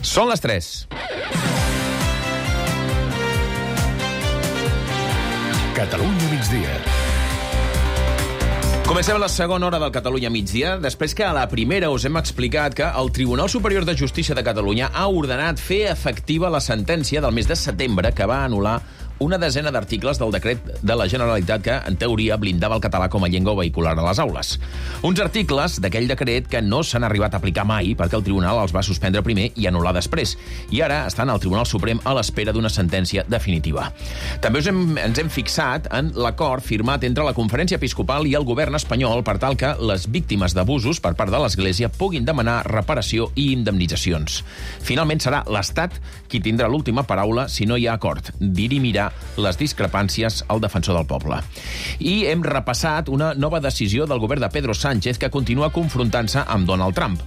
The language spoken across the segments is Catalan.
Són les 3. Catalunya migdia. Comencem la segona hora del Catalunya migdia, després que a la primera us hem explicat que el Tribunal Superior de Justícia de Catalunya ha ordenat fer efectiva la sentència del mes de setembre que va anul·lar una desena d'articles del decret de la Generalitat que, en teoria, blindava el català com a llengua vehicular a les aules. Uns articles d'aquell decret que no s'han arribat a aplicar mai perquè el Tribunal els va suspendre primer i anul·lar després. I ara estan al Tribunal Suprem a l'espera d'una sentència definitiva. També ens hem fixat en l'acord firmat entre la Conferència Episcopal i el govern espanyol per tal que les víctimes d'abusos per part de l'Església puguin demanar reparació i indemnitzacions. Finalment serà l'Estat qui tindrà l'última paraula si no hi ha acord. Dirimirà les discrepàncies al defensor del poble. I hem repassat una nova decisió del govern de Pedro Sánchez que continua confrontant-se amb Donald Trump.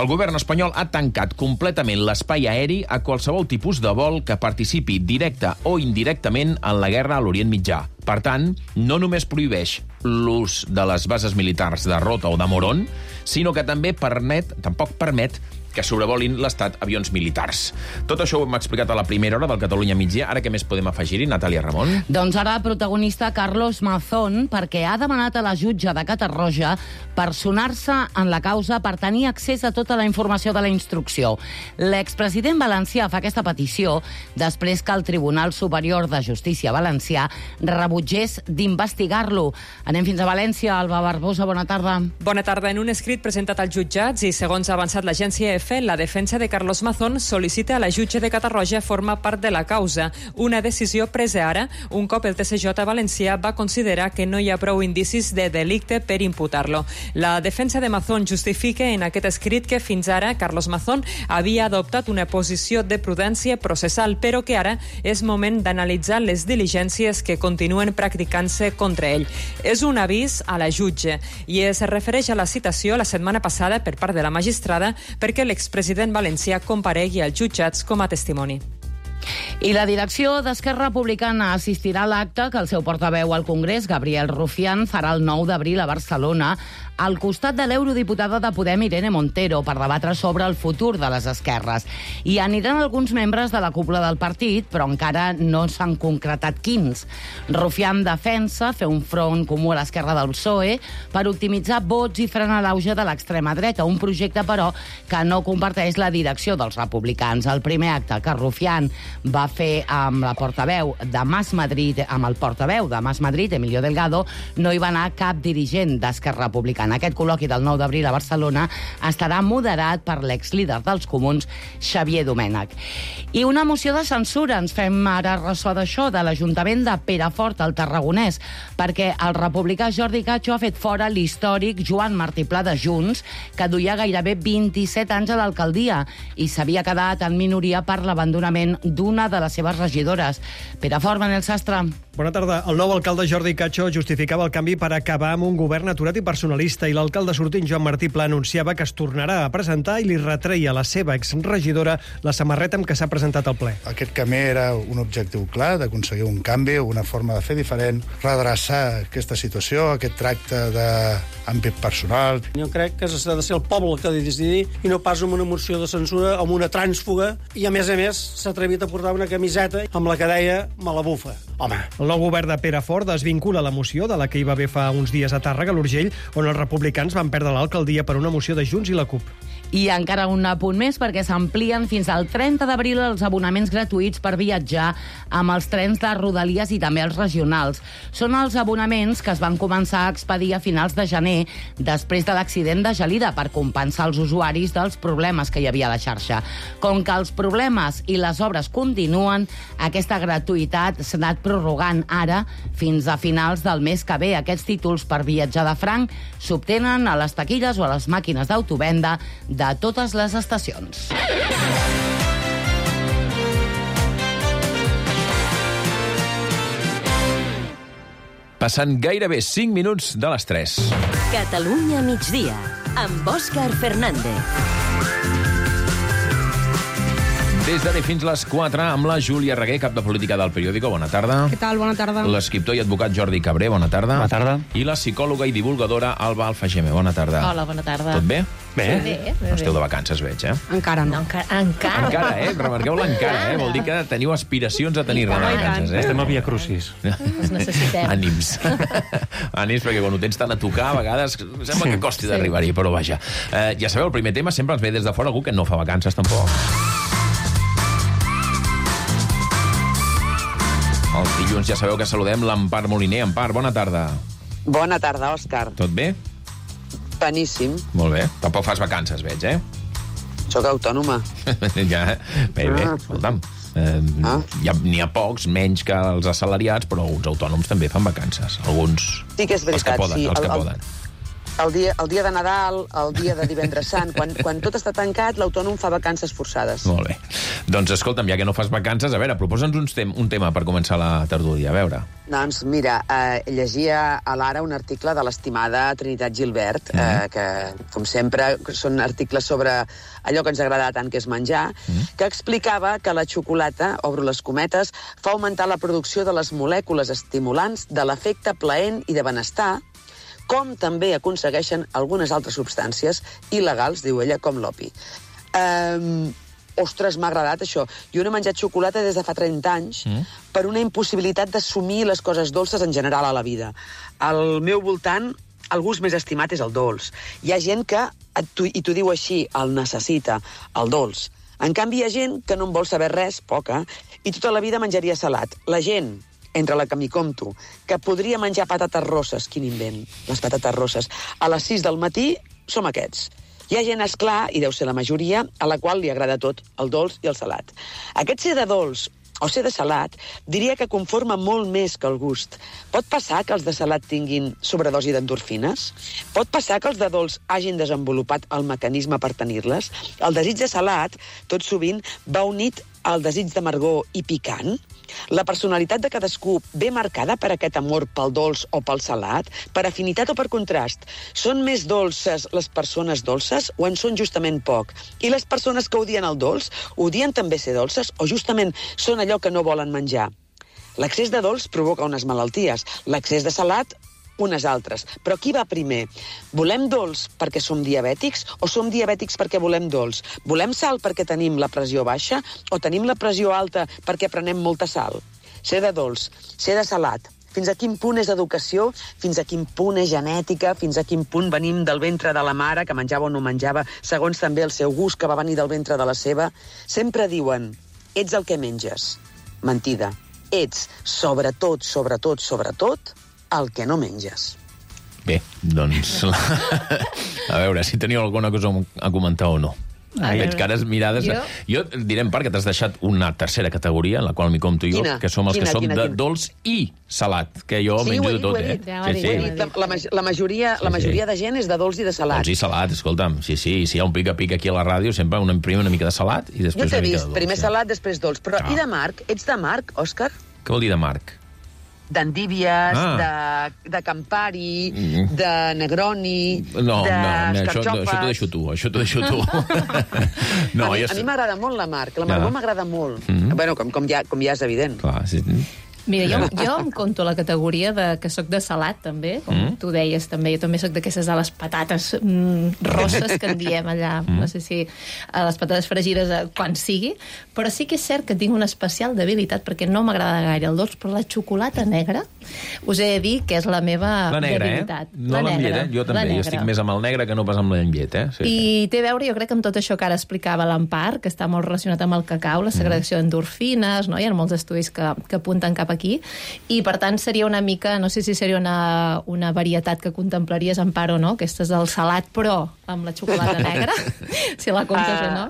El govern espanyol ha tancat completament l'espai aeri a qualsevol tipus de vol que participi directe o indirectament en la guerra a l'Orient Mitjà. Per tant, no només prohibeix l'ús de les bases militars de Rota o de Morón, sinó que també tampoc permet que sobrevolin l'Estat avions militars. Tot això ho hem explicat a la primera hora del Catalunya migdia. Ara què més podem afegir-hi, Natàlia Ramon? Doncs ara protagonista Carlos Mazón, perquè ha demanat a la jutge de Catarroja personar-se en la causa per tenir accés a tota la informació de la instrucció. L'expresident valencià fa aquesta petició després que el Tribunal Superior de Justícia valencià rebutgés d'investigar-lo. Anem fins a València. Alba Barbosa, bona tarda. Bona tarda. En un escrit presentat als jutjats i segons ha avançat l'agència EFE, la defensa de Carlos Mazón sol·licita a la jutge de Catarroja formar part de la causa. Una decisió presa ara, un cop el TSJ valencià va considerar que no hi ha prou indicis de delicte per imputar-lo. La defensa de Mazón justifica en aquest escrit que fins ara Carlos Mazón havia adoptat una posició de prudència processal, però que ara és moment d'analitzar les diligències que continuen practicant-se contra ell. És un avís a la jutge i es refereix a la citació la setmana passada per part de la magistrada perquè l'expresident valencià comparegui als jutjats com a testimoni. I la direcció d'Esquerra Republicana assistirà a l'acte que el seu portaveu al Congrés, Gabriel Rufián, farà el 9 d'abril a Barcelona, al costat de l'eurodiputada de Podem, Irene Montero, per debatre sobre el futur de les esquerres. I aniran alguns membres de la cúpula del partit, però encara no s'han concretat quins. Rufián defensa fer un front comú a l'esquerra del PSOE per optimitzar vots i frenar l'auge de l'extrema dreta, un projecte, però, que no comparteix la direcció dels republicans. El primer acte que Rufián va fer amb la portaveu de Mas Madrid, Emilio Delgado, no hi va anar cap dirigent d'Esquerra Republicana. Aquest col·loqui del 9 d'abril a Barcelona estarà moderat per l'exlíder dels comuns, Xavier Domènech. I una moció de censura, ens fem ara ressò d'això, de l'Ajuntament de Perafort, al Tarragonès, perquè el republicà Jordi Cacho ha fet fora l'històric Joan Martí Pla de Junts, que duia gairebé 27 anys a l'alcaldia i s'havia quedat en minoria per l'abandonament d'una de les seves regidores. Perafort, Manel Sastre. Bona tarda. El nou alcalde Jordi Cacho justificava el canvi per acabar amb un govern aturat i personalista, i l'alcalde sortint Joan Martí Pla anunciava que es tornarà a presentar i li retreia a la seva exregidora la samarreta amb què s'ha presentat al ple. Aquest camí era un objectiu clar, d'aconseguir un canvi, una forma de fer diferent, redreçar aquesta situació, aquest tracte d'àmbit personal. Jo crec que s'ha de ser el poble el que ha de decidir i no pas amb una moció de censura, amb una trànsfuga, i a més s'ha atrevit a portar una camiseta amb la que deia "me la bufa". Home. El nou govern de Perafort desvincula la moció de la que hi va haver fa uns dies a Tàrrega, a l'Urgell, on els republicans van perdre l'alcaldia per una moció de Junts i la CUP. I encara un apunt més, perquè s'amplien fins al 30 d'abril els abonaments gratuïts per viatjar amb els trens de Rodalies i també els regionals. Són els abonaments que es van començar a expedir a finals de gener, després de l'accident de Gelida, per compensar els usuaris dels problemes que hi havia a la xarxa. Com que els problemes i les obres continuen, aquesta gratuïtat s'ha anat prorrogant ara fins a finals del mes que ve. Aquests títols per viatjar de franc s'obtenen a les taquilles o a les màquines d'autovenda de totes les estacions. Passant gairebé 5 minuts de les 3. Catalunya migdia, amb Òscar Fernández. Des des d'ara fins les 4 amb la Júlia Reguer, cap de política del periòdico. Bona tarda. Què tal? Bona tarda. L'escriptor i advocat Jordi Cabré, bona tarda. Bona tarda. I la psicòloga i divulgadora Alba Alfageme, bona tarda. Hola, bona tarda. Tot bé? Bé. No esteu de vacances, veig, Encara no. Encara, remarqueu l'encara, Vol dir que teniu aspiracions a tenir-ne de vacances, Estem a Via Crucis. Els necessitem. Ànims. Ànims, perquè quan ho tens tant a tocar, a vegades sembla que costi d'arribar-hi, però vaja. Ja sabeu, el primer tema sempre ens ve des de fora algú que no fa vacances, tampoc. Els dilluns ja sabeu que saludem l'Empar Moliner. Empar, bona tarda. Bona tarda, Òscar. Tot bé? Beníssim. Molt bé. Tampoc fas vacances, veig, Soc autònoma. Ja, bé, escolta'm. N'hi ha pocs, menys que els assalariats, però uns autònoms també fan vacances. Alguns, Sí que és veritat, els que poden. El dia de Nadal, el dia de Divendres Sant, quan tot està tancat, l'autònom fa vacances forçades. Molt bé. Doncs escolta'm, ja que no fas vacances, a veure, proposa'ns un tema per començar la tertúlia, a veure. Doncs mira, llegia a l'Ara un article de l'estimada Trinitat Gilbert, que, com sempre, són articles sobre allò que ens agrada tant, que és menjar, que explicava que la xocolata, obro les cometes, fa augmentar la producció de les molècules estimulants de l'efecte plaent i de benestar, com també aconsegueixen algunes altres substàncies il·legals, diu ella, com l'opi. Ostres, m'ha agradat això. Jo no he menjat xocolata des de fa 30 anys per una impossibilitat d'assumir les coses dolces en general a la vida. Al meu voltant, el gust més estimat és el dolç. Hi ha gent que, i t'ho diu així, el necessita, el dolç. En canvi, hi ha gent que no en vol saber res, poca, i tota la vida menjaria salat. La gent, entre la que m'hi compto, que podria menjar patates rosses, quin invent, les patates rosses, a les 6 del matí, som aquests. Hi ha gent, esclar, i deu ser la majoria, a la qual li agrada tot, el dolç i el salat. Aquest ser de dolç o ser de salat, diria que conforma molt més que el gust. Pot passar que els de salat tinguin sobredosi d'endorfines? Pot passar que els de dolç hagin desenvolupat el mecanisme per tenir-les? El desig de salat, tot sovint, va unit al desig d'amargor i picant? La personalitat de cadascú ve marcada per aquest amor pel dolç o pel salat, per afinitat o per contrast. Són més dolces les persones dolces o en són justament poc? I les persones que odien el dolç, odien també ser dolces o justament són allò que no volen menjar? L'excés de dolç provoca unes malalties, l'excés de salat unes altres. Però qui va primer? Volem dolç perquè som diabètics o som diabètics perquè volem dolç? Volem sal perquè tenim la pressió baixa o tenim la pressió alta perquè prenem molta sal? Ser de dolç, ser de salat, fins a quin punt és educació, fins a quin punt és genètica, fins a quin punt venim del ventre de la mare, que menjava o no menjava, segons també el seu gust, que va venir del ventre de la seva. Sempre diuen, ets el que menges. Mentida. Ets, sobretot, el que no menges. Bé, doncs... A veure, si teniu alguna cosa a comentar o no. Veig cares mirades... Jo diré en part que t'has deixat una tercera categoria, en la qual m'hi compto jo, que som els que som de dolç i salat, que jo menjo de tot, La majoria de gent és de dolç i de salat. Dolç i salat, escolta'm, sí, si hi ha un pica-pica aquí a la ràdio, sempre primer una mica de salat i després una mica de dolç. Primer salat, després dolç. Però i de marc? Ets de marc, Òscar? Què vol dir de marc? D'endívies, de Campari, de Negroni, d'escarxofes... Això t'ho deixo tu. A mi m'agrada molt la marc, l'amargor m'agrada molt. Bueno, com ja és evident. Clar, sí. Mira, jo em conto la categoria que soc de salat, també, com tu deies, també. Jo també soc d'aquestes de les patates rosses que en diem allà. No sé si les patates fregides quan sigui, però sí que és cert que tinc una especial debilitat perquè no m'agrada gaire el dolç, però la xocolata negra us he de dir que és la meva debilitat. No l'enllet, jo també. Jo estic més amb el negre que no pas amb l'enllet, I té a veure, jo crec, amb tot això que ara explicava l'Empar, que està molt relacionat amb el cacau, la segregació d'endorfines, no? Hi ha molts estudis que apunten cap aquí, i per tant seria una mica, no sé si seria una varietat que contemplaries, Empar, o no, aquestes del salat però amb la xocolata negra, si la comptes o no.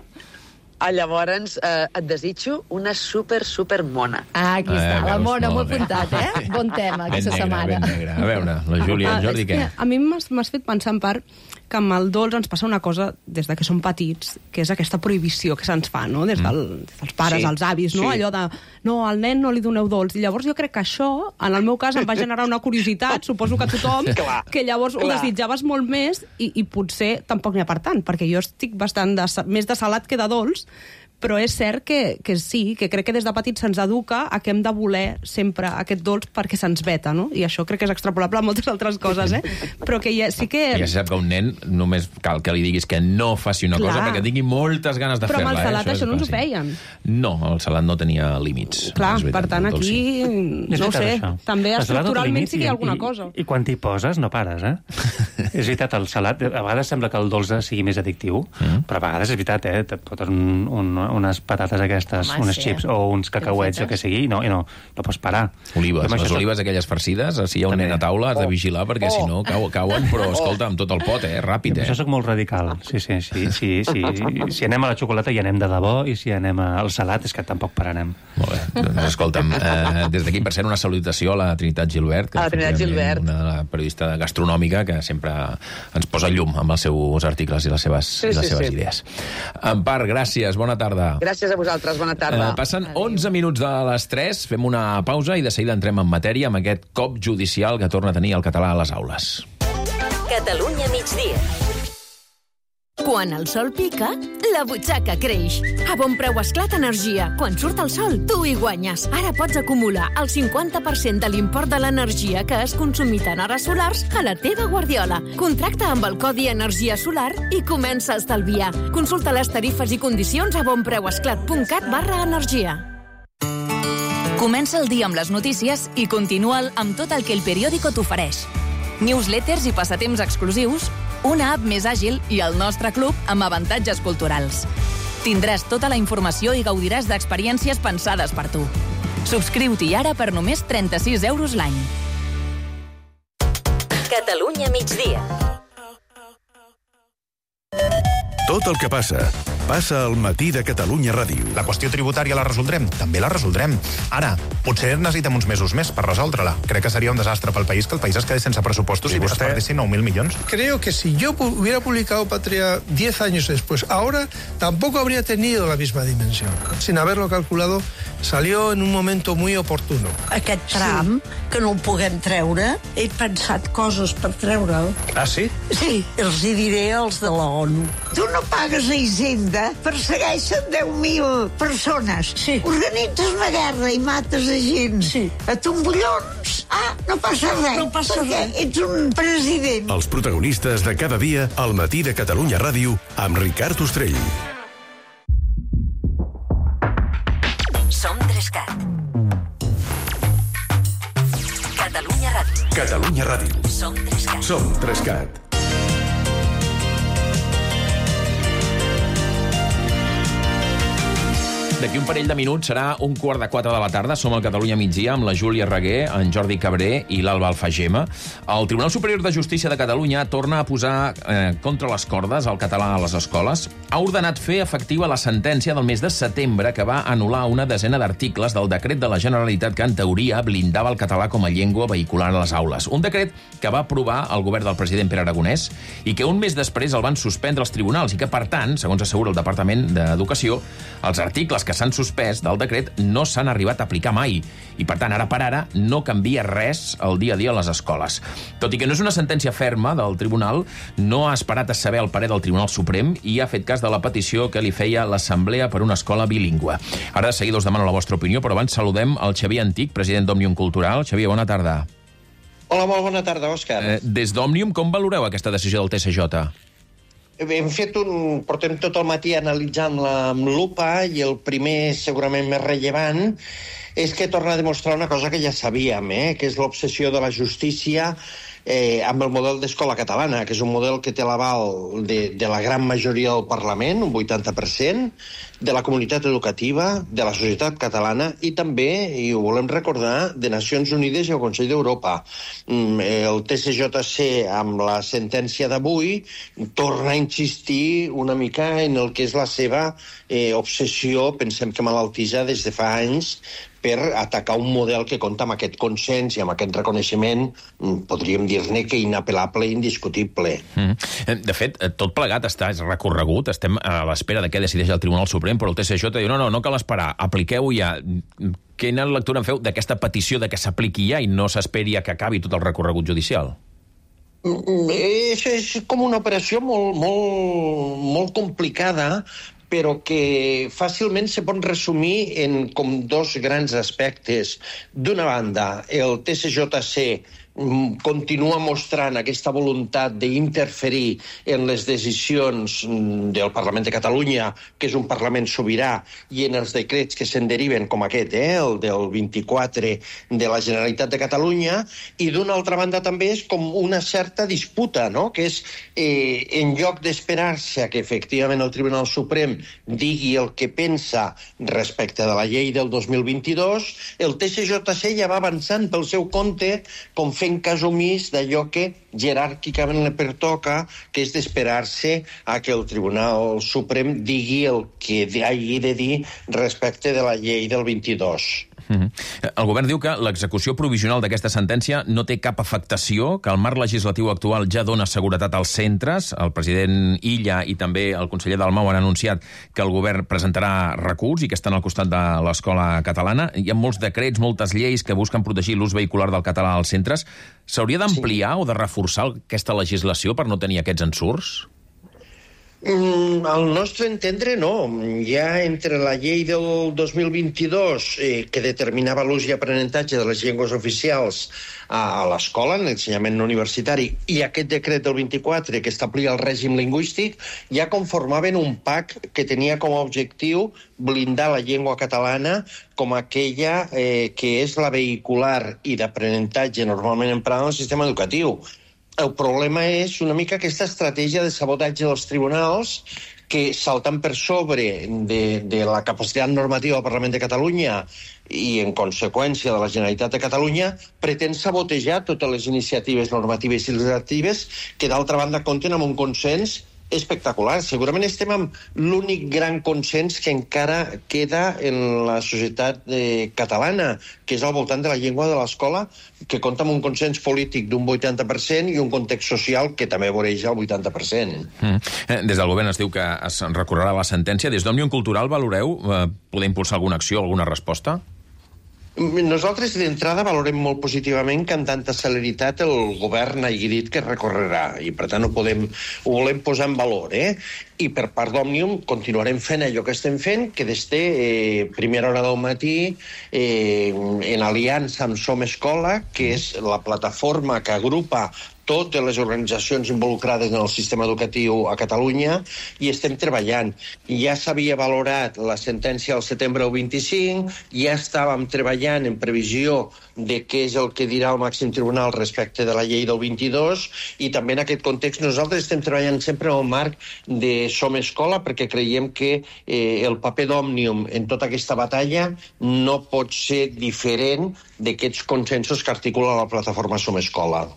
Llavors et desitjo una super mona. Aquí està, la mona, molt apuntat, bon tema aquesta setmana. Ben negre. A veure, la Júlia, el Jordi, què? A mi m'has fet pensar, en part, que amb el dolç ens passa una cosa des de que som petits, que és aquesta prohibició que se'ns fa, no? Des dels pares, els avis, no? Allò de, no, al nen no li doneu dolç. I llavors jo crec que això, en el meu cas, em va generar una curiositat, suposo que tothom, que llavors ho desitjaves molt més i potser tampoc n'hi ha per tant, perquè jo estic bastant més de salat que de dolç, Però és cert que sí, que crec que des de petits se'ns educa a que hem de voler sempre aquest dolç perquè se'ns veta, no? I això crec que és extrapolable a moltes altres coses, Però que sí que... Ja se sap que un nen només cal que li diguis que no faci una cosa perquè tingui moltes ganes de fer-la. Però amb el salat això no ens ho feien. No, el salat no tenia límits. Clar, per tant, aquí, no ho sé, també estructuralment sí que hi ha alguna cosa. I quan t'hi poses no pares, És veritat, el salat, a vegades sembla que el dolç sigui més addictiu, però a vegades és veritat, et foten unes patates aquestes, unes chips o uns cacauets, o que sigui, i no pots parar. Olives, les olives aquelles farcides, si hi ha un nen a taula has de vigilar, perquè si no cauen, però escolta, amb tot el pot, ràpid, Això soc molt radical, sí. Si anem a la xocolata hi anem de debò, i si anem al salat és que tampoc pararem. Molt bé, doncs escolta'm, des d'aquí, per cert, una salutació a la Trinitat Gilbert, que és una periodista gastronòmica que sempre ens posa llum amb els seus articles i les seves idees. Empar, gràcies, bona tarda. Gràcies a vosaltres, bona tarda. Passen 11 minuts de les 3, fem una pausa i de seguida entrem en matèria amb aquest cop judicial que torna a tenir el català a les aules. Catalunya migdia. Quan el sol pica, la butxaca creix. A Bonpreu Esclat Energia. Quan surt el sol, tu hi guanyes. Ara pots acumular el 50% de l'import de l'energia que has consumit en hores solars a la teva guardiola. Contracta amb el codi Energia Solar i comença a estalviar. Consulta les tarifes i condicions a bonpreuesclat.cat/energia. Comença el dia amb les notícies i continua'l amb tot el que el periòdico t'ofereix. Newsletters i passatemps exclusius, una app més àgil i el nostre club amb avantatges culturals. Tindràs tota la informació i gaudiràs d'experiències pensades per tu. Subscriu-t'hi ara per només 36 euros l'any. Catalunya migdia. Tot el que passa al matí de Catalunya Ràdio. La qüestió tributària la resoldrem? També la resoldrem. Ara, potser necessitem uns mesos més per resoldre-la. Crec que seria un desastre pel país que el país es quedés sense pressupostos i es perdessin 9.000 millones. Creo que si yo hubiera publicado Patria 10 años después, ahora tampoco habría tenido la misma dimensión. Sin haberlo calculado, salió en un momento muy oportuno. Aquest tram, que no el puguem treure, he pensat coses per treure'l. Ah, sí? Sí, els hi diré als de la ONU. Tu no pagues a Hisenda, persegueixen 10.000 persones. Sí. Organitzes una guerra i mates a gent. Sí. A tombollons. No passa res. No passa res. Ets un president. Els protagonistes de cada dia al matí de Catalunya Ràdio amb Ricard Ostrell. Som 3CAT. Catalunya Ràdio. Catalunya Ràdio. Som 3CAT. Som 3CAT. D'aquí un parell de minuts serà 3:15 de la tarda. Som al Catalunya migdia amb la Júlia Reguer, en Jordi Cabré i l'Alba Alfagema. El Tribunal Superior de Justícia de Catalunya torna a posar contra les cordes el català a les escoles. Ha ordenat fer efectiva la sentència del mes de setembre que va anul·lar una desena d'articles del decret de la Generalitat que, en teoria, blindava el català com a llengua vehicular a les aules. Un decret que va aprovar el govern del president Pere Aragonès i que un mes després el van suspendre els tribunals i que, per tant, segons assegura el Departament d'Educació, els articles que s'han suspès del decret no s'han arribat a aplicar mai i, per tant, ara per ara no canvia res al dia a dia a les escoles. Tot i que no és una sentència ferma del tribunal, no ha esperat a saber el parer del Tribunal Suprem i ha fet cas de la petició que li feia l'Assemblea per una escola bilingüe. Ara de seguida us demano la vostra opinió, però abans saludem el Xavier Antic, president d'Òmnium Cultural. Xavier, bona tarda. Hola, molt bona tarda, Òscar. Des d'Òmnium, com valoreu aquesta decisió del TSJ? Portem tot el matí analitzant-la amb lupa i el primer, segurament més rellevant, és que torna a demostrar una cosa que ja sabíem, que és l'obsessió de la justícia amb el model d'escola catalana, que és un model que té l'aval de la gran majoria del Parlament, un 80%, de la comunitat educativa, de la societat catalana i també, i ho volem recordar, de Nacions Unides i el Consell d'Europa. El TSJC, amb la sentència d'avui, torna a insistir una mica en el que és la seva obsessió, pensem que malaltissa des de fa anys, per atacar un model que compta amb aquest consens i amb aquest reconeixement, podríem dir-ne que inapel·lable i indiscutible. De fet, tot plegat està recorregut, estem a l'espera de què decideix el Tribunal Suprem, però el TSJ diu, no cal esperar, apliqueu-ho ja. Quina lectura en feu d'aquesta petició de que s'apliqui ja i no s'esperi a que acabi tot el recorregut judicial? És com una operació molt complicada però que fàcilment se pot resumir en com dos grans aspectes. D'una banda, el TSJC continua mostrant aquesta voluntat d'interferir en les decisions del Parlament de Catalunya, que és un Parlament sobirà, i en els decrets que se'n deriven, com aquest, el del 24 de la Generalitat de Catalunya, i d'una altra banda també és com una certa disputa, no? Que és, en lloc d'esperar-se que efectivament el Tribunal Suprem digui el que pensa respecte de la llei del 2022, el TSJC ja va avançant pel seu compte, com fent cas omís d'allò que jeràrquicament li pertoca, que és d'esperar-se a que el Tribunal Suprem digui el que hagi de dir respecte de la llei del 22. El govern diu que l'execució provisional d'aquesta sentència no té cap afectació, que el marc legislatiu actual ja dona seguretat als centres. El president Illa i també el conseller Dalmau han anunciat que el govern presentarà recurs i que estan al costat de l'escola catalana. Hi ha molts decrets, moltes lleis que busquen protegir l'ús vehicular del català als centres. S'hauria d'ampliar o de reforçar aquesta legislació per no tenir aquests ensurts? Al nostre entendre, no. Ja entre la llei del 2022, que determinava l'ús i aprenentatge de les llengües oficials a l'escola, en l'ensenyament no universitari, i aquest decret del 24, que establia el règim lingüístic, ja conformaven un PAC que tenia com a objectiu blindar la llengua catalana com aquella que és la vehicular i d'aprenentatge normalment emprada en el sistema educatiu. El problema és una mica aquesta estratègia de sabotatge dels tribunals que, saltant per sobre de la capacitat normativa del Parlament de Catalunya i, en conseqüència, de la Generalitat de Catalunya, pretén sabotejar totes les iniciatives normatives i legislatives que, d'altra banda, compten amb un consens espectacular. Segurament estem amb l'únic gran consens que encara queda en la societat catalana, que és al voltant de la llengua de l'escola, que compta amb un consens polític d'un 80% i un context social que també voreja el 80%. Des del govern es diu que es recorrerà la sentència. Des d'Òmnium Cultural valoreu poder impulsar alguna acció, alguna resposta? Nosaltres, d'entrada, valorem molt positivament que amb tanta celeritat el govern hagi dit que recorrerà, i per tant ho volem posar en valor. I per part d'Òmnium continuarem fent allò que estem fent, que des de primera hora del matí, en aliança amb Som Escola, que és la plataforma que agrupa totes les organitzacions involucrades en el sistema educatiu a Catalunya, i estem treballant. Ja s'havia valorat la sentència al setembre del 25, ja estàvem treballant en previsió de què és el que dirà el màxim tribunal respecte de la llei del 22, i també en aquest context nosaltres estem treballant sempre en el marc de Som Escola, perquè creiem que el paper d'Òmnium en tota aquesta batalla no pot ser diferent d'aquests consensos que articula la plataforma Som Escola.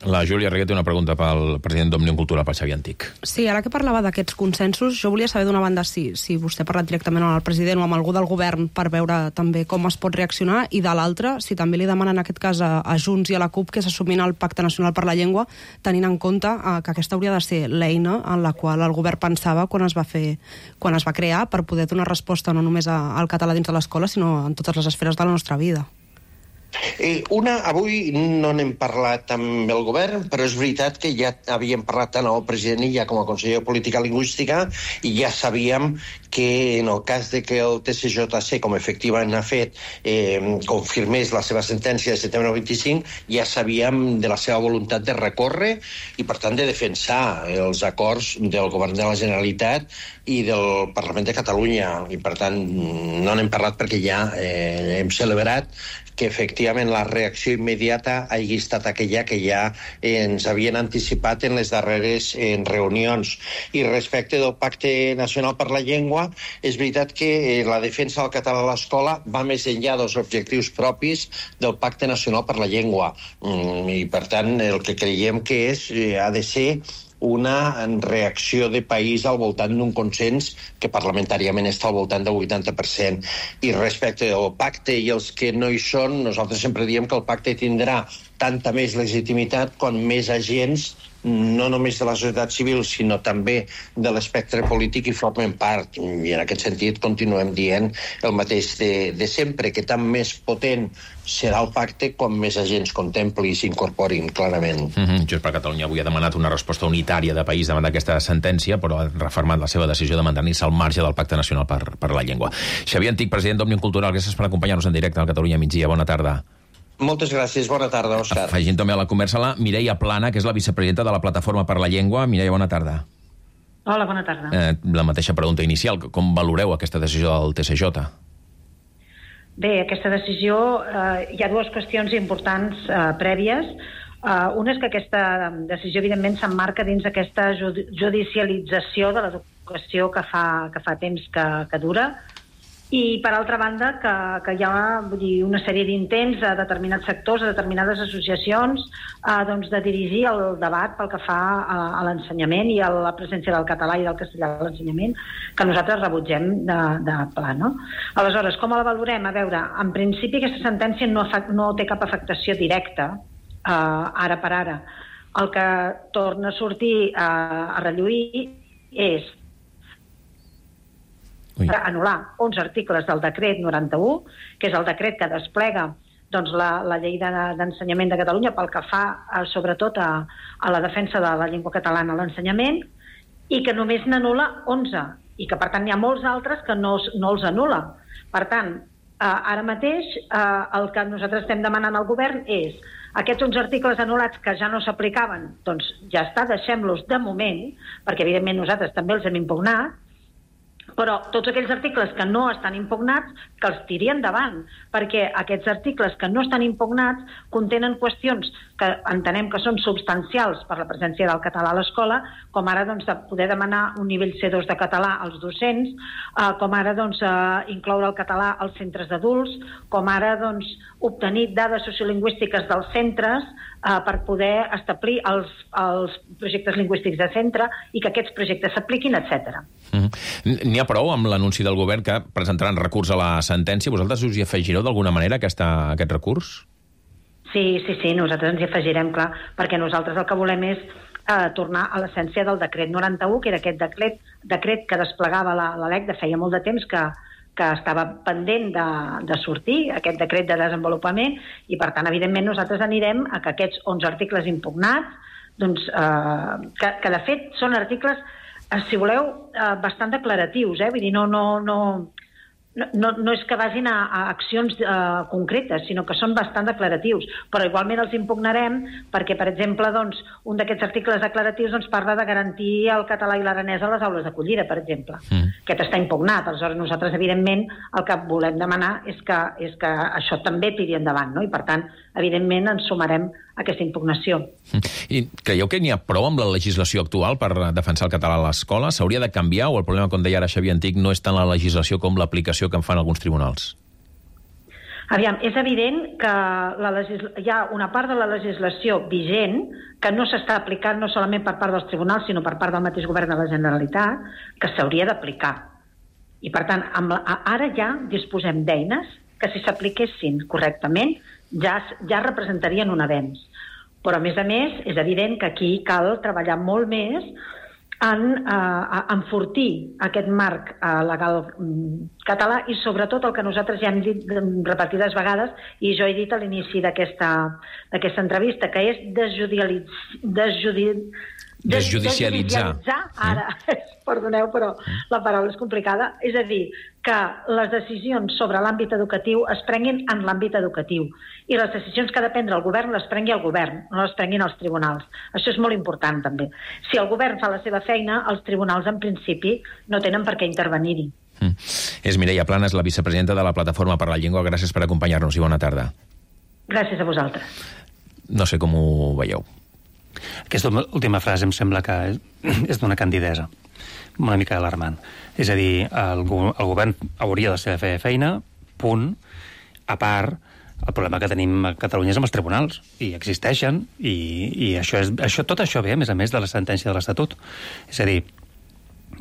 La Júlia Reguer té una pregunta pel president d'Òmnium Cultural, pel Xavier Antic. Sí, ara que parlava d'aquests consensos, jo volia saber d'una banda si vostè ha parlat directament amb el president o amb algú del govern per veure també com es pot reaccionar, i de l'altra, si també li demanen en aquest cas a Junts i a la CUP que s'assumin el Pacte Nacional per la Llengua, tenint en compte que aquesta hauria de ser l'eina en la qual el govern pensava quan es va crear per poder donar resposta no només al català dins de l'escola, sinó en totes les esferes de la nostra vida. Avui no n'hem parlat amb el govern, però és veritat que ja havíem parlat tant amb el president Illa com a conseller de Política Lingüística, i ja sabíem que en el cas de que el TSJC, com efectivament ha fet, confirmés la seva sentència de setembre 25, ja sabíem de la seva voluntat de recórrer i, per tant, de defensar els acords del govern de la Generalitat i del Parlament de Catalunya. I, per tant, no n'hem parlat perquè ja hem celebrat que efectivament la reacció immediata hagi estat aquella que ja ens havien anticipat en les darreres reunions. I respecte del Pacte Nacional per la Llengua, és veritat que la defensa del català a l'escola va més enllà dels objectius propis del Pacte Nacional per la Llengua. I, per tant, el que creiem que ha de ser una reacció de país al voltant d'un consens que parlamentàriament està al voltant del 80%. I respecte al pacte i els que no hi són, nosaltres sempre diem que el pacte tindrà tanta més legitimitat quan més agents no només de la societat civil, sinó també de l'espectre polític i formen part. I en aquest sentit continuem dient el mateix de sempre, que tan més potent serà el pacte com més agents contempli i s'incorporin, clarament. Junts per Catalunya avui ha demanat una resposta unitària de país davant d'aquesta sentència, però ha refermat la seva decisió de mantenir-se al marge del Pacte Nacional per la Llengua. Xavier Antich, president d'Òmnium Cultural, gràcies per acompanyar-nos en directe al Catalunya Migdia. Bona tarda. Moltes gràcies, bona tarda, Òscar. Afegint també a la conversa la Mireia Plana, que és la vicepresidenta de la Plataforma per la Llengua. Mireia, bona tarda. Hola, bona tarda. La mateixa pregunta inicial. Com valoreu aquesta decisió del TSJ? Bé, aquesta decisió, hi ha dues qüestions importants prèvies. Una és que aquesta decisió, evidentment, s'emmarca dins d'aquesta judicialització de l'educació que fa temps que dura, i, per altra banda, que hi ha una sèrie d'intents a determinats sectors, a determinades associacions, de dirigir el debat pel que fa a l'ensenyament i a la presència del català i del castellà a l'ensenyament, que nosaltres rebutgem de pla, no? Aleshores, com la valorem? A veure, en principi aquesta sentència no té cap afectació directa, ara per ara. El que torna a sortir a relluir és anul·lar 11 articles del decret 91, que és el decret que desplega la llei d'ensenyament de Catalunya pel que fa sobretot a la defensa de la llengua catalana a l'ensenyament, i que només n'anul·la 11, i que per tant hi ha molts altres que no els anul·la. Per tant, ara mateix el que nosaltres estem demanant al govern és aquests 11 articles anul·lats que ja no s'aplicaven, doncs ja està, deixem-los de moment, perquè evidentment nosaltres també els hem impugnat, però tots aquells articles que no estan impugnats, que els tiri endavant, perquè aquests articles que no estan impugnats contenen qüestions que entenem que són substancials per la presència del català a l'escola, com ara de poder demanar un nivell C2 de català als docents, com ara incloure el català als centres d'adults, com ara obtenir dades sociolingüístiques dels centres per poder establir els projectes lingüístics de centre i que aquests projectes s'apliquin, etc. N'hi ha prou amb l'anunci del govern que presentaran recurs a la sentència? Vosaltres us hi afegireu d'alguna manera aquest recurs? Sí, nosaltres ens hi afegirem, clar, perquè nosaltres el que volem és tornar a l'essència del decret 91, que era aquest decret que desplegava la LEC de feia molt de temps que estava pendent de sortir, aquest decret de desenvolupament, i per tant, evidentment, nosaltres anirem a que aquests 11 articles impugnats, que de fet són articles, si voleu, bastant declaratius, vull dir, no és que vagin a accions concretes, sinó que són bastant declaratius, però igualment els impugnarem perquè, per exemple, un d'aquests articles declaratius parla de garantir el català i l'aranès a les aules d'acollida, per exemple. Aquest està impugnat. Aleshores, nosaltres, evidentment, el que volem demanar és que això també tiri endavant, no? I, per tant, evidentment, ens sumarem a aquesta impugnació. I creieu que n'hi ha prou amb la legislació actual per defensar el català a l'escola? S'hauria de canviar o el problema, com deia ara Xavier Antich, no és tant la legislació com l'aplicació que en fan alguns tribunals? Aviam, és evident que hi ha una part de la legislació vigent que no s'està aplicant no solament per part dels tribunals, sinó per part del mateix govern de la Generalitat, que s'hauria d'aplicar. I, per tant, ara ja disposem d'eines que, si s'apliquessin correctament, ja representarien un avenç. Però, a més, és evident que aquí cal treballar molt més en enfortir aquest marc legal català i, sobretot, el que nosaltres ja hem dit repetides vegades, i jo he dit a l'inici d'aquesta entrevista, que és desjudicialitzar. Ara, perdoneu, però la paraula és complicada. És a dir, que les decisions sobre l'àmbit educatiu es prenguin en l'àmbit educatiu i les decisions que ha de prendre el govern les prengui el govern, no les prenguin els tribunals. Això és molt important, també. Si el govern fa la seva feina, els tribunals, en principi, no tenen per què intervenir-hi. És Mireia Plana, és la vicepresidenta de la Plataforma per la Llengua. Gràcies per acompanyar-nos i bona tarda. Gràcies a vosaltres. No sé com ho veieu. Aquesta última frase em sembla que és d'una candidesa, una mica alarmant. És a dir, el govern hauria de fer feina, punt. A part, el problema que tenim a Catalunya és amb els tribunals, i existeixen, i tot això ve, a més de la sentència de l'Estatut. És a dir,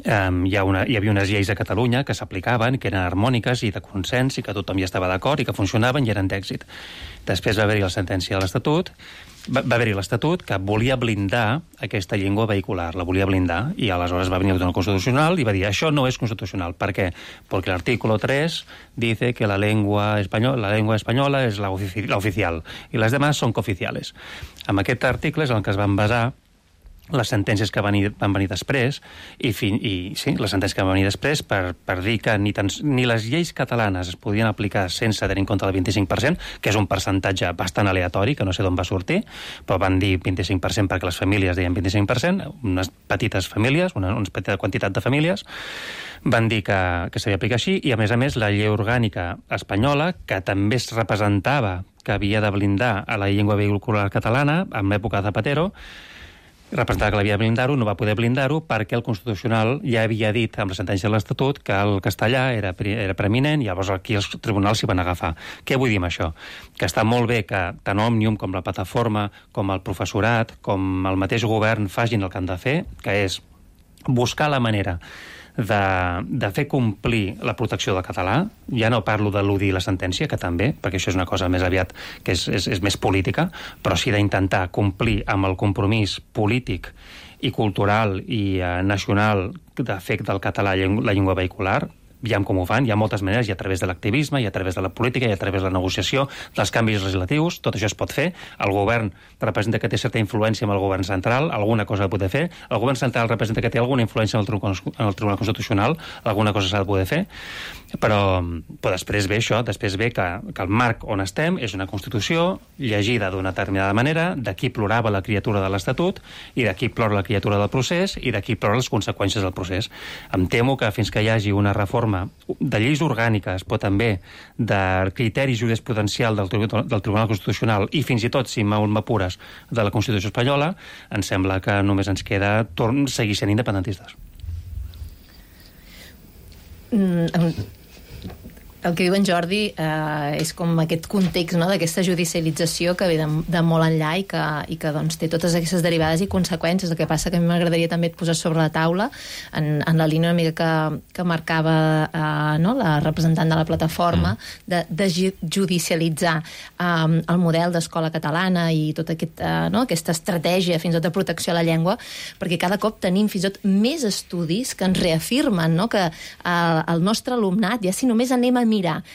hi havia unes lleis a Catalunya que s'aplicaven, que eren harmòniques i de consens, i que tothom hi estava d'acord i que funcionaven i eren d'èxit. Després va haver-hi la sentència de l'Estatut, va haver-hi l'Estatut que volia blindar aquesta llengua vehicular, la volia blindar, i aleshores va venir el Tribunal Constitucional i va dir això no és constitucional. Per què? Porque el artículo 3 dice que la lengua española es la oficial y las demás son cooficiales. Amb aquest article és en què es van basar les sentències que van venir després les sentències que van venir després per dir que ni les lleis catalanes es podien aplicar sense tenir en compte el 25%, que és un percentatge bastant aleatori, que no sé d'on va sortir, però van dir 25% perquè les famílies deien 25%, unes petites famílies, una petita quantitat de famílies, van dir que s'havia d'aplicar així, i a més, la llei orgànica espanyola, que també es representava que havia de blindar a la llengua vehicular catalana en l'època de Zapatero, representava que l'havia de blindar-ho, no va poder blindar-ho perquè el Constitucional ja havia dit amb la sentència de l'Estatut que el castellà era preeminent, i llavors aquí els tribunals s'hi van agafar. Què vull dir amb això? Que està molt bé que tant Òmnium com la plataforma, com el professorat, com el mateix govern facin el que han de fer, que és buscar la manera de fer complir la protecció del català. Ja no parlo de l'UDI i la sentència, que també, perquè això és una cosa més aviat que és més política, però sí d'intentar complir amb el compromís polític i cultural i nacional de fer del català la llengua vehicular. Veiem com ho fan, hi ha moltes maneres, i a través de l'activisme, i a través de la política, i a través de la negociació, dels canvis legislatius, tot això es pot fer. El govern representa que té certa influència amb el govern central, alguna cosa ha de poder fer. El govern central representa que té alguna influència en el Tribunal Constitucional, alguna cosa s'ha de poder fer, però després ve això, després ve que el marc on estem és una Constitució llegida d'una determinada manera, d'aquí plorava la criatura de l'Estatut, i d'aquí plora la criatura del procés, i d'aquí plora les conseqüències del procés. Em temo que fins que hi hagi una reforma de lleis orgàniques, però també de criteri jurisprudencial del Tribunal Constitucional, i fins i tot, si m'apures, de la Constitució espanyola, em sembla que només ens queda seguir sent independentistes. El que diu en Jordi és com aquest context, no?, d'aquesta judicialització que ve de molt enllà i que doncs, té totes aquestes derivades i conseqüències. El que passa que a mi m'agradaria també posar sobre la taula, en la línia una mica que marcava la representant de la plataforma, de judicialitzar el model d'escola catalana i tota aquesta estratègia fins i tot de protecció a la llengua, perquè cada cop tenim fins i tot més estudis que ens reafirmen que el nostre alumnat, ja si només anem a mirar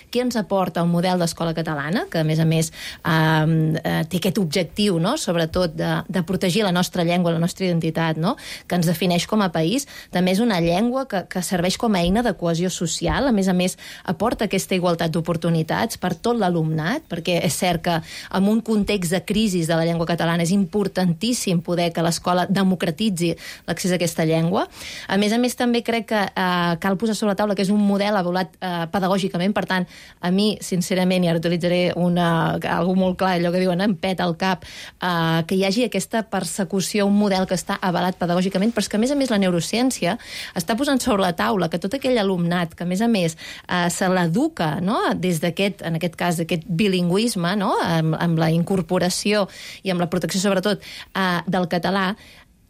què ens aporta el model d'escola catalana, que a més té aquest objectiu, sobretot de protegir la nostra llengua, la nostra identitat, que ens defineix com a país. També és una llengua que serveix com a eina de cohesió social, a més aporta aquesta igualtat d'oportunitats per tot l'alumnat, perquè és cert que en un context de crisi de la llengua catalana és importantíssim poder que l'escola democratitzi l'accés a aquesta llengua. A més també crec que cal posar sobre la taula que és un model avaluat pedagògicament. Per tant, a mi, sincerament, i ara utilitzaré algú molt clar, allò que diuen, em peta al cap, que hi hagi aquesta persecució, un model que està avalat pedagògicament, però és que, a més, la neurociència està posant sobre la taula que tot aquell alumnat que, a més, se l'educa des d'aquest, en aquest cas, aquest bilingüisme, amb la incorporació i amb la protecció, sobretot, del català,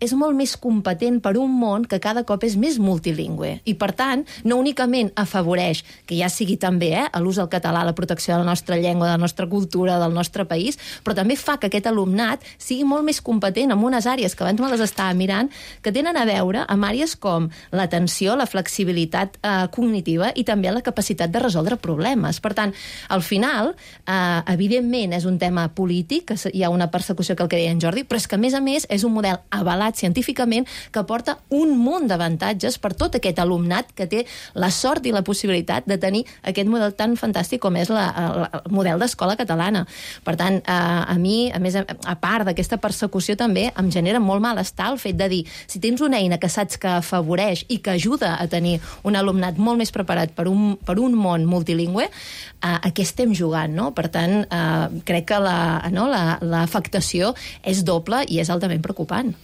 és molt més competent per un món que cada cop és més multilingüe. I, per tant, no únicament afavoreix que ja sigui també l'ús del català, la protecció de la nostra llengua, de la nostra cultura, del nostre país, però també fa que aquest alumnat sigui molt més competent en unes àrees que abans me les estava mirant, que tenen a veure amb àrees com l'atenció, la flexibilitat cognitiva i també la capacitat de resoldre problemes. Per tant, al final, evidentment, és un tema polític, que hi ha una persecució que el que deia en Jordi, però és que, a més, és un model avalat científicament que aporta un munt d'avantatges per tot aquest alumnat que té la sort i la possibilitat de tenir aquest model tan fantàstic com és el model d'escola catalana. Per tant, a mi, a més, a part d'aquesta persecució, també em genera molt malestar el fet de dir, si tens una eina que saps que afavoreix i que ajuda a tenir un alumnat molt més preparat per un món multilingüe, a què estem jugant, no? Per tant, crec que l'afectació és doble i és altament preocupant.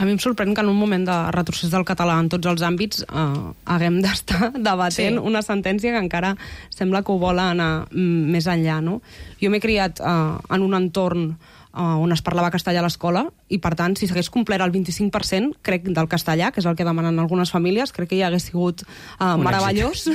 A mi em sorprèn que en un moment de retrocés del català en tots els àmbits haguem d'estar debatent una sentència que encara sembla que ho vol anar més enllà, no? Jo m'he criat en un entorn on es parlava castellà a l'escola, i per tant, si s'hagués complert el 25%, crec, del castellà, que és el que demanen algunes famílies, crec que ja hagués sigut meravellós,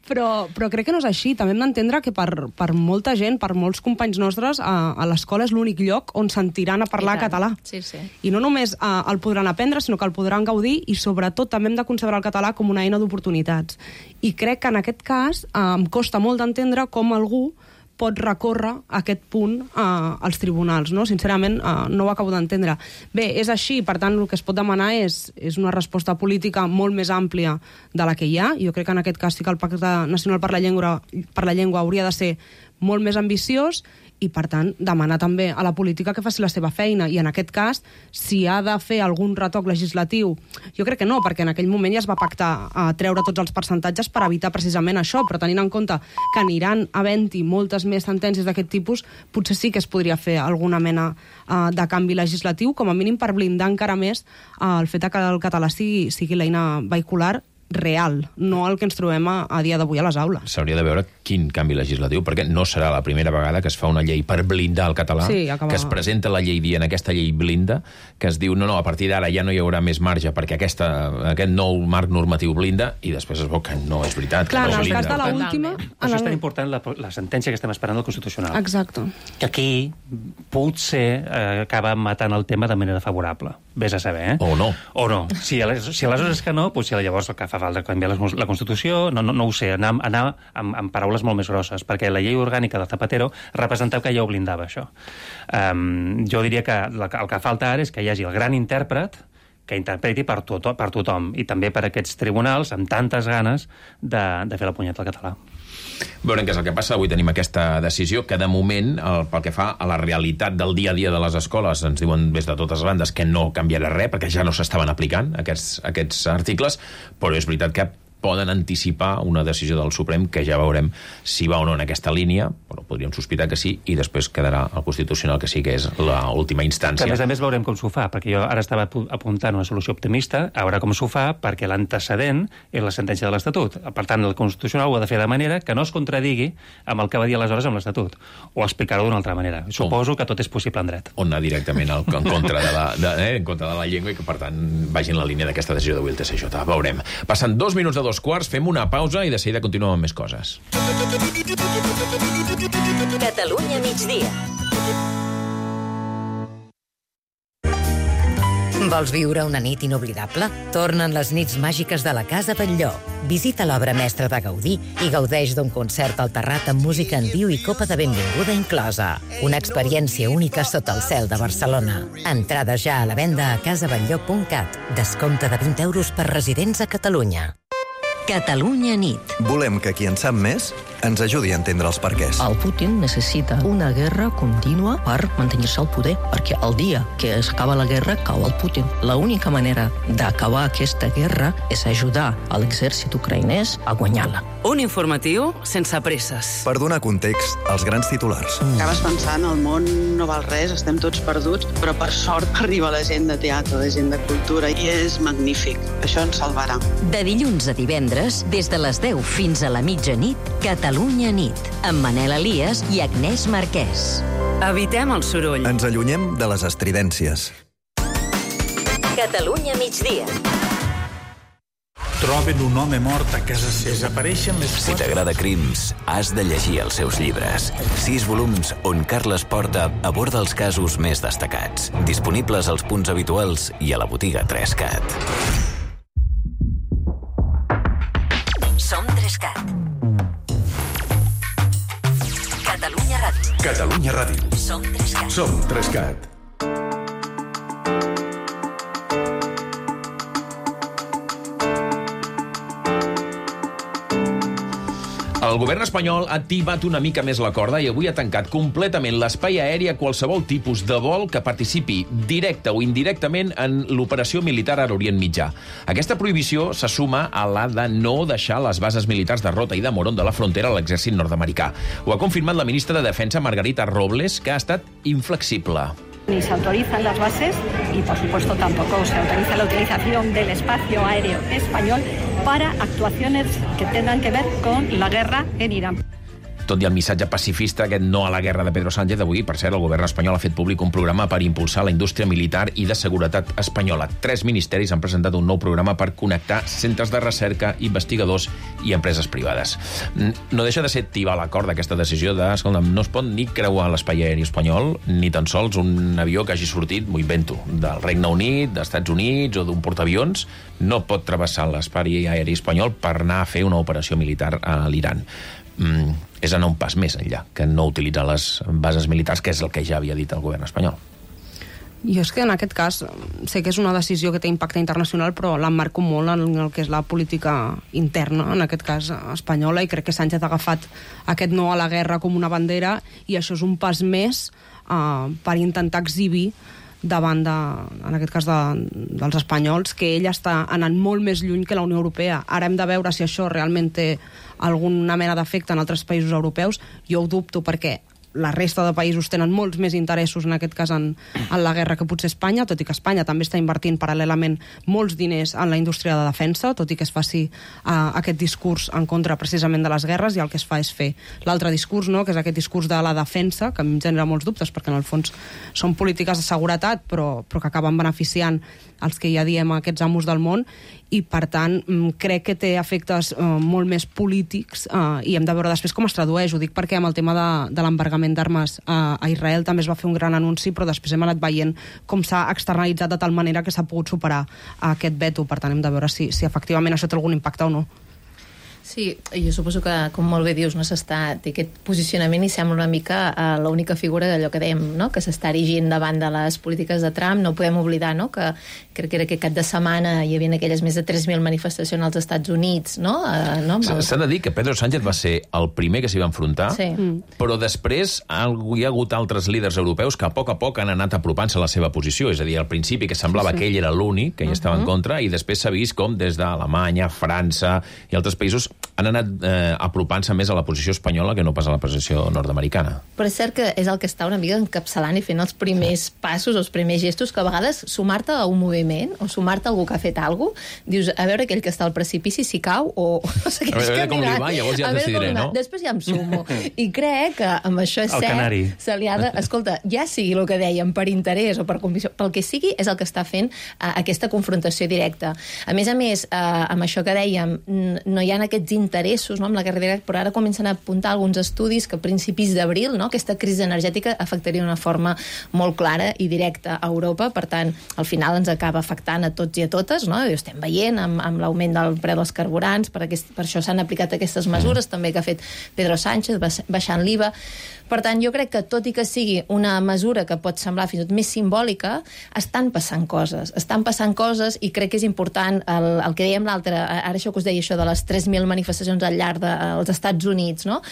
però crec que no és així. També hem d'entendre que per molta gent, per molts companys nostres, a l'escola és l'únic lloc on sentiran a parlar català. Sí, sí. I no només el podran aprendre, sinó que el podran gaudir, i sobretot també hem de concebre el català com una eina d'oportunitats. I crec que en aquest cas em costa molt d'entendre com algú pot recórrer a aquest punt als tribunals, no? Sincerament, no ho acabo d'entendre. Bé, és així, per tant, el que es pot demanar és una resposta política molt més àmplia de la que hi ha. Jo crec que en aquest cas sí que el Pacte Nacional per la Llengua hauria de ser molt més ambiciós, i, per tant, demanar també a la política que faci la seva feina. I, en aquest cas, si ha de fer algun retoc legislatiu, jo crec que no, perquè en aquell moment ja es va pactar a treure tots els percentatges per evitar precisament això, però tenint en compte que aniran havent-hi moltes més sentències d'aquest tipus, potser sí que es podria fer alguna mena de canvi legislatiu, com a mínim per blindar encara més el fet que el català sigui l'eina vehicular real, no el que ens trobem a dia d'avui a les aules. S'hauria de veure quin canvi legislatiu, perquè no serà la primera vegada que es fa una llei per blindar el català, que es presenta la llei dient aquesta llei blinda, que es diu no, a partir d'ara ja no hi haurà més marge perquè aquest nou marc normatiu blinda, i després es veu que no és veritat. Clar, que no en el cas de l'última... Per això és tan important la sentència que estem esperant del Constitucional. Exacte. Que aquí potser acaba matant el tema de manera favorable. Vés a saber, O no. O no. Si aleshores és que no, potser llavors el que fa falta canviar la Constitució, no ho sé, anar amb paraules molt més grosses, perquè la llei orgànica de Zapatero representava que ja ho blindava, això. Jo diria que el que falta ara és que hi hagi el gran intèrpret que interpreti per tothom, i també per aquests tribunals amb tantes ganes de fer la punyeta al català. Veurem què és el que passa. Avui tenim aquesta decisió que, de moment, pel que fa a la realitat del dia a dia de les escoles, ens diuen des de totes bandes que no canviarà res, perquè ja no s'estaven aplicant aquests articles, però és veritat que poden anticipar una decisió del Suprem que ja veurem si va o no en aquesta línia, però podríem sospitar que sí, i després quedarà el Constitucional, que sí que és l'última instància. Que, a més veurem com s'ho fa, perquè jo ara estava apuntant una solució optimista, a veure com s'ho fa, perquè l'antecedent és la sentència de l'Estatut. Per tant, el Constitucional ho ha de fer de manera que no es contradigui amb el que va dir aleshores amb l'Estatut, o explicar-ho d'una altra manera. Suposo que tot és possible en dret. O anar directament en contra de la llengua, i que, per tant, vagi en la línia d'aquesta decisió d'avui el TSJ. Veurem. Passen 2 minuts de 2:15, fem una pausa i de seguida continuem amb més coses. Catalunya migdia. Vols viure una nit inoblidable? Tornen les nits màgiques de la Casa Batlló. Visita l'obra mestra de Gaudí i gaudeix d'un concert alterrat amb música en viu i copa de benvinguda inclosa. Una experiència única sota el cel de Barcelona. Entrada ja a la venda a casabatlló.cat. Descompte de 20 euros per residents a Catalunya. Catalunya nit. Volem que qui en sap més ens ajudi a entendre els perquès. El Putin necessita una guerra contínua per mantenir-se al poder, perquè el dia que s'acaba la guerra cau el Putin. L'única manera d'acabar aquesta guerra és ajudar a l'exèrcit ucraïnès a guanyar-la. Un informatiu sense presses. Per donar context als grans titulars. Acabes pensant, el món no val res, estem tots perduts, però per sort arriba la gent de teatre, la gent de cultura, i és magnífic. Això ens salvarà. De dilluns a divendres, des de les 10 fins a la mitjanit, Catalunya nit, amb Manel Elias i Agnès Marquès. Evitem el soroll. Ens allunyem de les estridències. Catalunya migdia. Troben un home mort a casa seva. Desapareixen les... Si t'agrada Crims, has de llegir els seus llibres. 6 volums on Carles Porta aborda els casos més destacats. Disponibles als punts habituals i a la botiga 3CAT. Som 3CAT. Catalunya Ràdio. Catalunya Ràdio. Som 3CAT. Som 3CAT. El govern espanyol ha tibat una mica més la corda i avui ha tancat completament l'espai aeri a qualsevol tipus de vol que participi directe o indirectament en l'operació militar a l'Orient Mitjà. Aquesta prohibició se suma a la de no deixar les bases militars de Rota i de Morón de la frontera a l'exèrcit nord-americà. Ho ha confirmat la ministra de Defensa, Margarita Robles, que ha estat inflexible. Ni se autorizan las bases y, por supuesto, tampoco se autoriza la utilización del espacio aéreo español para actuaciones que tengan que ver con la guerra en Irán. Tot i el missatge pacifista, aquest no a la guerra de Pedro Sánchez, avui, per cert, el govern espanyol ha fet públic un programa per impulsar la indústria militar i de seguretat espanyola. 3 ministeris han presentat un nou programa per connectar centres de recerca, investigadors i empreses privades. No deixa de ser tibar l'acord d'aquesta decisió de, escolta'm, no es pot ni creuar l'espai aeri espanyol, ni tan sols un avió que hagi sortit, m'ho invento, del Regne Unit, dels Estats Units o d'un portaavions, no pot travessar l'espai aeri espanyol per anar a fer una operació militar a l'Iran. És anar un pas més enllà, que no utilitzar les bases militars, que és el que ja havia dit el govern espanyol. Jo és que en aquest cas sé que és una decisió que té impacte internacional, però l'emmarco molt en el que és la política interna, en aquest cas espanyola, i crec que Sánchez ha agafat aquest no a la guerra com una bandera, i això és un pas més per intentar exhibir davant en aquest cas dels espanyols, que ell està anant molt més lluny que la Unió Europea. Ara hem de veure si això realment té alguna mena d'efecte en altres països europeus. Jo ho dubto, perquè la resta de països tenen molts més interessos, en aquest cas en la guerra, que potser Espanya, tot i que Espanya també està invertint paral·lelament molts diners en la indústria de defensa, tot i que es faci aquest discurs en contra precisament de les guerres, i el que es fa és fer l'altre discurs, no? Que és aquest discurs de la defensa, que a mi em genera molts dubtes, perquè en el fons són polítiques de seguretat, però que acaben beneficiant els que ja diem aquests amos del món, i per tant crec que té efectes molt més polítics, i hem de veure després com es tradueix. Ho dic perquè amb el tema de l'embargament d'armes a Israel també es va fer un gran anunci, però després hem anat veient com s'ha externalitzat de tal manera que s'ha pogut superar aquest veto. Per tant hem de veure si efectivament això té algun impacte o no. Sí, jo suposo que, com molt bé dius, no té aquest posicionament i sembla una mica l'única figura d'allò que dèiem, no? Que s'està erigint davant de les polítiques de Trump. No podem oblidar, no? Que crec que era aquest cap de setmana hi havia aquelles més de 3.000 manifestacions als Estats Units, no? S'ha de dir que Pedro Sánchez va ser el primer que s'hi va enfrontar, sí. Però després hi ha hagut altres líders europeus que a poc han anat apropant-se a la seva posició. És a dir, al principi que semblava que ell era l'únic que hi estava en contra, i després s'ha vist com des d'Alemanya, França i altres països han anat apropant-se més a la posició espanyola que no pas a la posició nord-americana. Però és cert que és el que està una mica encapçalant i fent els primers passos, els primers gestos, que a vegades sumar-te a un moviment o sumar-te a algú que ha fet alguna cosa, dius, a veure aquell que està al precipici si cau o segueix caminant. Com li va, llavors ja decidiré, no? Després ja em sumo. I crec que amb això és cert, se li ha de... Escolta, ja sigui el que dèiem, per interès o per convicció, pel que sigui, és el que està fent aquesta confrontació directa. A més, amb això que dèiem, no hi ha aquests interessos, no, amb la guerra directa, però ara comencen a apuntar alguns estudis que a principis d'abril, no, aquesta crisi energètica afectaria d'una forma molt clara i directa a Europa. Per tant, al final ens acaba afectant a tots i a totes, no? I ho estem veient amb l'augment del preu dels carburants, per això s'han aplicat aquestes mesures també que ha fet Pedro Sánchez, baixant l'IVA. Per tant, jo crec que tot i que sigui una mesura que pot semblar fins i tot més simbòlica, estan passant coses i crec que és important el que dèiem l'altre, ara això que us deia, això de les 3.000 manifestacions al llarg dels Estats Units, no?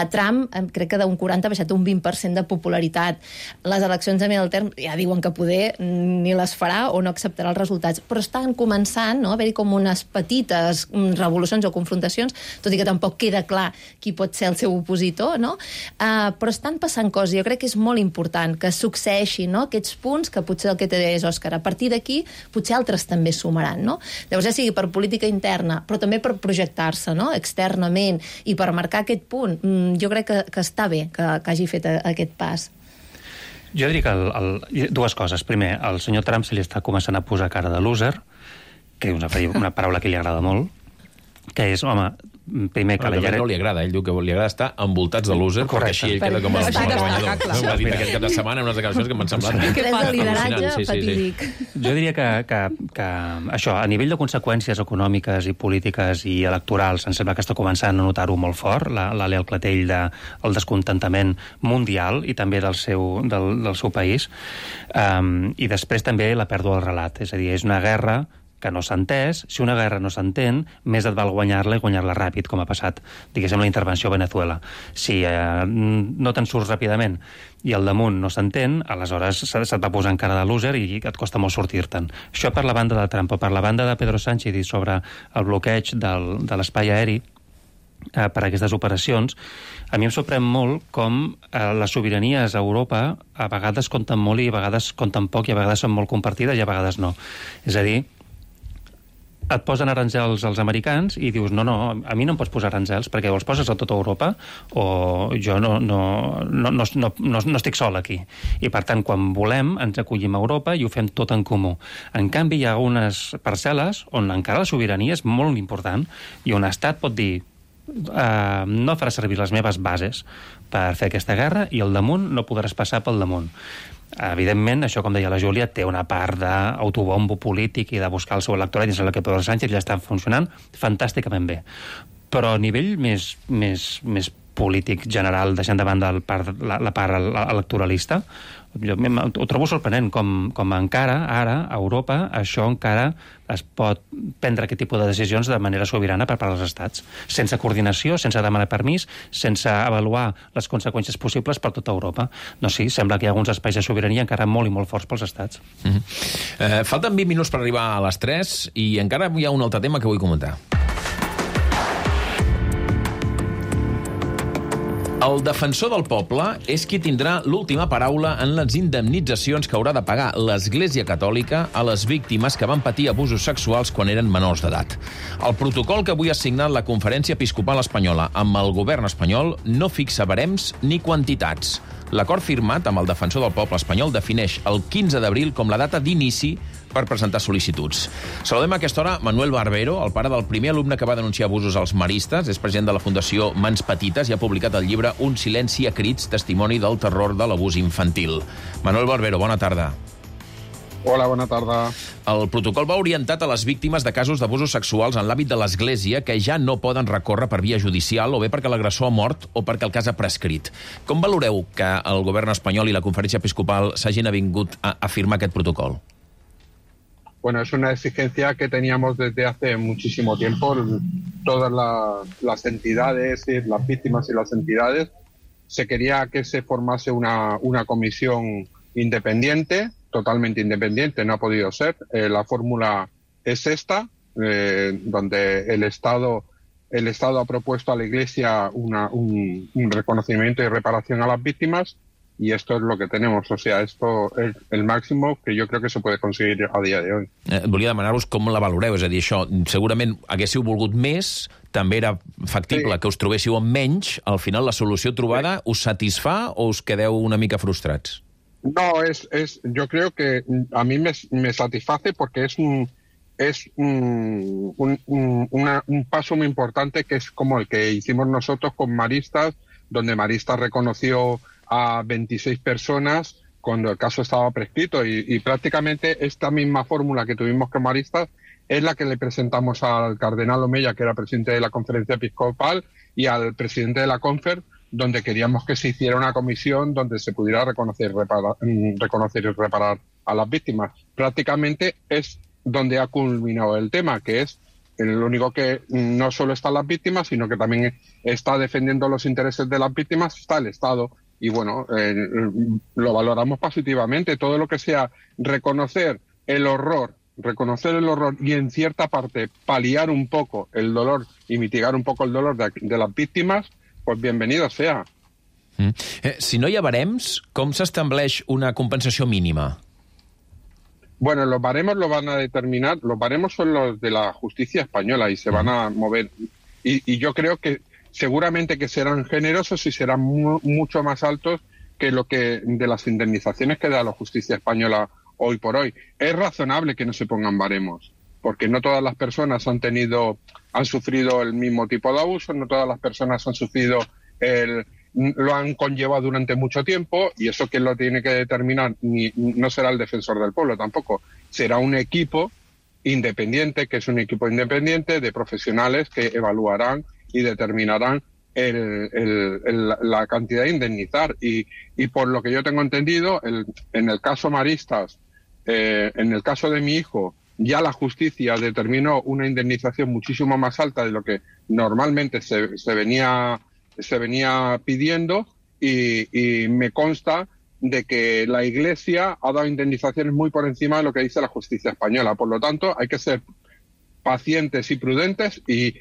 Trump, crec que d'un 40 ha baixat un 20% de popularitat. Les eleccions a mi del terme ja diuen que poder ni les farà o no acceptarà els resultats, però estan començant, no?, a haver-hi com unes petites revolucions o confrontacions, tot i que tampoc queda clar qui pot ser el seu opositor, no? Però estan passant coses. Jo crec que és molt important que succeeixin, no?, aquests punts, que potser el que té és Òscar. A partir d'aquí, potser altres també sumaran, no? Llavors, ja sigui per política interna, però també per projectar-se, no?, externament, i per marcar aquest punt, jo crec que està bé que hagi fet aquest pas. Jo diria que dues coses. Primer, al senyor Trump se li està començant a posar cara de loser, que és una paraula que li agrada molt, que és, home, primer que no li agrada, ell diu que li agrada estar envoltats de loser, perquè així ell queda com el guanyador. Ho va dir aquest cap de setmana en unes declaracions que m'han semblat... Que és de lideratge fatídic. Jo diria que això, a nivell de conseqüències econòmiques i polítiques i electorals, em sembla que està començant a notar-ho molt fort, l'ali al clatell del descontentament mundial i també del seu país, i després també la pèrdua del relat, és a dir, és una guerra que no s'ha entès. Si una guerra no s'entén, més et val guanyar-la i guanyar-la ràpid, com ha passat, diguéssim, la intervenció a Venezuela. Si no te'n surts ràpidament i al damunt no s'entén, aleshores se't va posar en cara de loser i et costa molt sortir-te'n. Això per la banda de Trump. Per la banda de Pedro Sánchez i sobre el bloqueig de l'espai aeri per a aquestes operacions, a mi em sorprèn molt com les sobiranies a Europa a vegades compten molt i a vegades compten poc i a vegades són molt compartides i a vegades no. És a dir, et posen aranzels als americans i dius, no, a mi no em pots posar aranzels perquè o els poses a tota Europa o jo no estic sol aquí. I, per tant, quan volem, ens acollim a Europa i ho fem tot en comú. En canvi, hi ha unes parcel·les on encara la sobirania és molt important i un estat pot dir no farà servir les meves bases per fer aquesta guerra i al damunt no podràs passar pel damunt. Evidentment, això, com deia la Júlia, té una part d'autobombo polític i de buscar el seu electorat, i em sembla que Pedro Sánchez ja està funcionant fantàsticament bé. Però a nivell més polític general, deixant de banda la part electoralista, jo ho trobo sorprenent, com encara, ara, a Europa, això encara es pot prendre aquest tipus de decisions de manera sobirana per part dels estats, sense coordinació, sense demanar permís, sense avaluar les conseqüències possibles per tota Europa. No, sí, sembla que hi ha alguns espais de sobirania encara molt i molt forts pels estats. Falten 20 minuts per arribar a les 3 i encara hi ha un altre tema que vull comentar. El defensor del poble és qui tindrà l'última paraula en les indemnitzacions que haurà de pagar l'Església Catòlica a les víctimes que van patir abusos sexuals quan eren menors d'edat. El protocol que avui ha signat la Conferència Episcopal Espanyola amb el govern espanyol no fixa barems ni quantitats. L'acord firmat amb el defensor del poble espanyol defineix el 15 d'abril com la data d'inici per presentar sol·licituds. Saludem a aquesta hora Manuel Barbero, el pare del primer alumne que va denunciar abusos als maristes, és president de la Fundació Mans Petites i ha publicat el llibre Un silenci a crits, testimoni del terror de l'abús infantil. Manuel Barbero, bona tarda. Hola, bona tarda. El protocol va orientat a les víctimes de casos d'abusos sexuals en l'àmbit de l'Església que ja no poden recórrer per via judicial o bé perquè l'agressor ha mort o perquè el cas ha prescrit. Com valoreu que el govern espanyol i la Conferència Episcopal s'hagin avingut a firmar aquest protocol? Bueno, es una exigencia que teníamos desde hace muchísimo tiempo. Todas las entidades, las víctimas y las entidades, se quería que se formase una comisión independiente, totalmente independiente, no ha podido ser. La fórmula es esta, donde el Estado ha propuesto a la Iglesia un reconocimiento y reparación a las víctimas, y esto es lo que tenemos. O sea, esto es el máximo que jo crec que se puede conseguir a dia de hoy. Volia demanar-vos com la valoreu, és a dir, això, segurament haguéssiu volgut més, també era factible que us trobéssiu amb menys, al final la solució trobada us satisfà o us quedeu una mica frustrats? No, yo creo que a mí me satisface porque es un paso muy importante, que es como el que hicimos nosotros con Maristas, donde Maristas reconoció a 26 personas cuando el caso estaba prescrito y prácticamente esta misma fórmula que tuvimos con Maristas es la que le presentamos al cardenal Omeya, que era presidente de la Conferencia Episcopal, y al presidente de la Confer, donde queríamos que se hiciera una comisión donde se pudiera reconocer y reparar a las víctimas. Prácticamente es donde ha culminado el tema, que es lo único que no solo están las víctimas, sino que también está defendiendo los intereses de las víctimas, está el Estado. Y bueno, lo valoramos positivamente. Todo lo que sea reconocer el horror y en cierta parte paliar un poco el dolor y mitigar un poco el dolor de las víctimas, pues bienvenido sea. Si no hi ha barems, com s'estableix una compensació mínima? Bueno, los baremos lo van a determinar, los baremos son los de la justicia española y se van a mover. Y yo creo que seguramente que serán generosos y serán mucho más altos que lo que de las indemnizaciones que da la justicia española hoy por hoy. Es razonable que no se pongan baremos, porque no todas las personas han sufrido el mismo tipo de abuso, no todas las personas han sufrido lo han conllevado durante mucho tiempo, y eso quien lo tiene que determinar no será el defensor del pueblo tampoco, será un equipo independiente, que es un equipo independiente de profesionales que evaluarán y determinarán la cantidad de indemnizar. Y por lo que yo tengo entendido, en el caso Maristas, en el caso de mi hijo, ya la justicia determinó una indemnización muchísimo más alta de lo que normalmente se venía pidiendo, y me consta de que la Iglesia ha dado indemnizaciones muy por encima de lo que dice la justicia española. Por lo tanto, hay que ser pacientes y prudentes y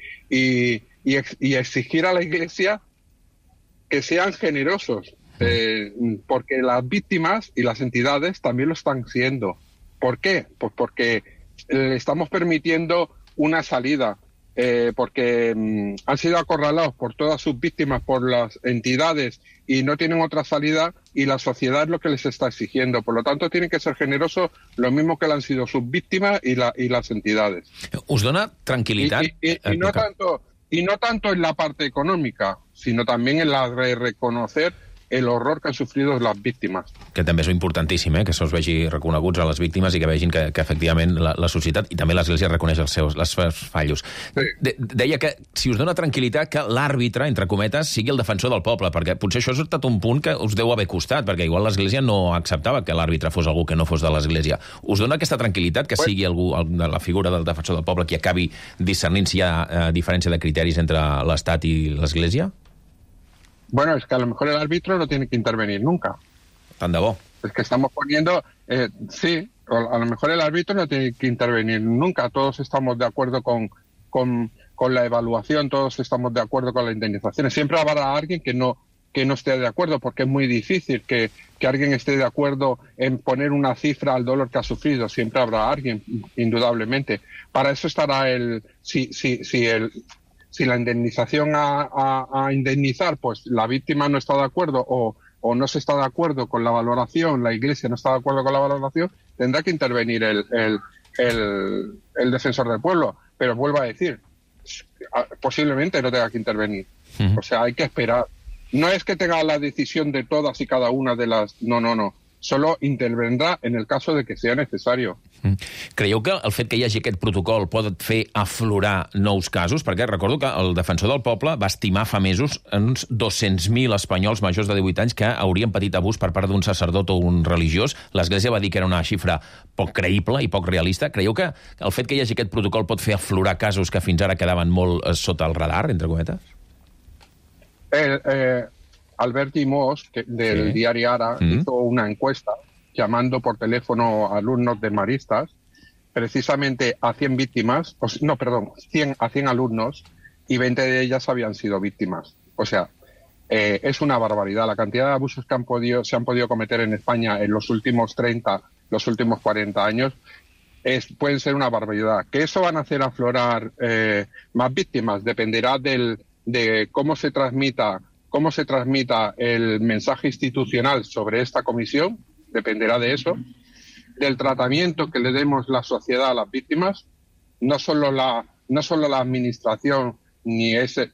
exigir a la Iglesia que sean generosos, porque las víctimas y las entidades también lo están siendo. ¿Por qué? Pues porque le estamos permitiendo una salida, porque han sido acorralados por todas sus víctimas, por las entidades, y no tienen otra salida, y la sociedad es lo que les está exigiendo. Por lo tanto, tienen que ser generosos, lo mismo que han sido sus víctimas y las entidades. Us dona tranquil·litat? Y no tanto en la parte económica, sino también en la de reconocer el horror que han sufrido las víctimes. Que també és importantíssim, que se'ls vegi reconeguts a les víctimes i que vegin que efectivament la societat i també l'Església reconeix els seus fallos. Sí. Deia que si us dona tranquil·litat que l'àrbitre, entre cometes, sigui el defensor del poble, perquè potser això ha estat un punt que us deu haver costat, perquè igual l'Església no acceptava que l'àrbitre fos algú que no fos de l'Església. Us dona aquesta tranquil·litat que sigui algú de la figura del defensor del poble qui acabi discernint si hi ha diferència de criteris entre l'Estat i l'Església? Bueno, es que a lo mejor el árbitro no tiene que intervenir nunca. Tan de bo. Es que estamos poniendo... sí, a lo mejor el árbitro no tiene que intervenir nunca. Todos estamos de acuerdo con la evaluación, todos estamos de acuerdo con la indemnización. Siempre habrá alguien que no esté de acuerdo, porque es muy difícil que alguien esté de acuerdo en poner una cifra al dolor que ha sufrido. Siempre habrá alguien, indudablemente. Para eso estará si la indemnización a indemnizar, pues la víctima no está de acuerdo o no se está de acuerdo con la valoración, la Iglesia no está de acuerdo con la valoración, tendrá que intervenir el defensor del pueblo. Pero vuelvo a decir, posiblemente no tenga que intervenir. O sea, hay que esperar. No es que tenga la decisión de todas y cada una de las... No. Solo intervendrà en el caso de que sea necesario. Creieu que el fet que hi hagi aquest protocol pot fer aflorar nous casos? Perquè recordo que el defensor del poble va estimar fa mesos uns 200.000 espanyols majors de 18 anys que haurien patit abús per part d'un sacerdot o un religiós. L'Església va dir que era una xifra poc creïble i poc realista. Creieu que el fet que hi hagi aquest protocol pot fer aflorar casos que fins ara quedaven molt sota el radar, entre cometes? Albert Llimós, del diario Ara, hizo una encuesta llamando por teléfono a alumnos de maristas, precisamente a 100 víctimas, 100 a 100 alumnos, y 20 de ellas habían sido víctimas. O sea, es una barbaridad. La cantidad de abusos que se han podido cometer en España en los últimos 30, los últimos 40 años, pueden ser una barbaridad. ¿Que eso van a hacer aflorar más víctimas? Dependerá de cómo se transmita el mensaje institucional sobre esta comisión, dependerá de eso, del tratamiento que le demos la sociedad a las víctimas, no solo la administración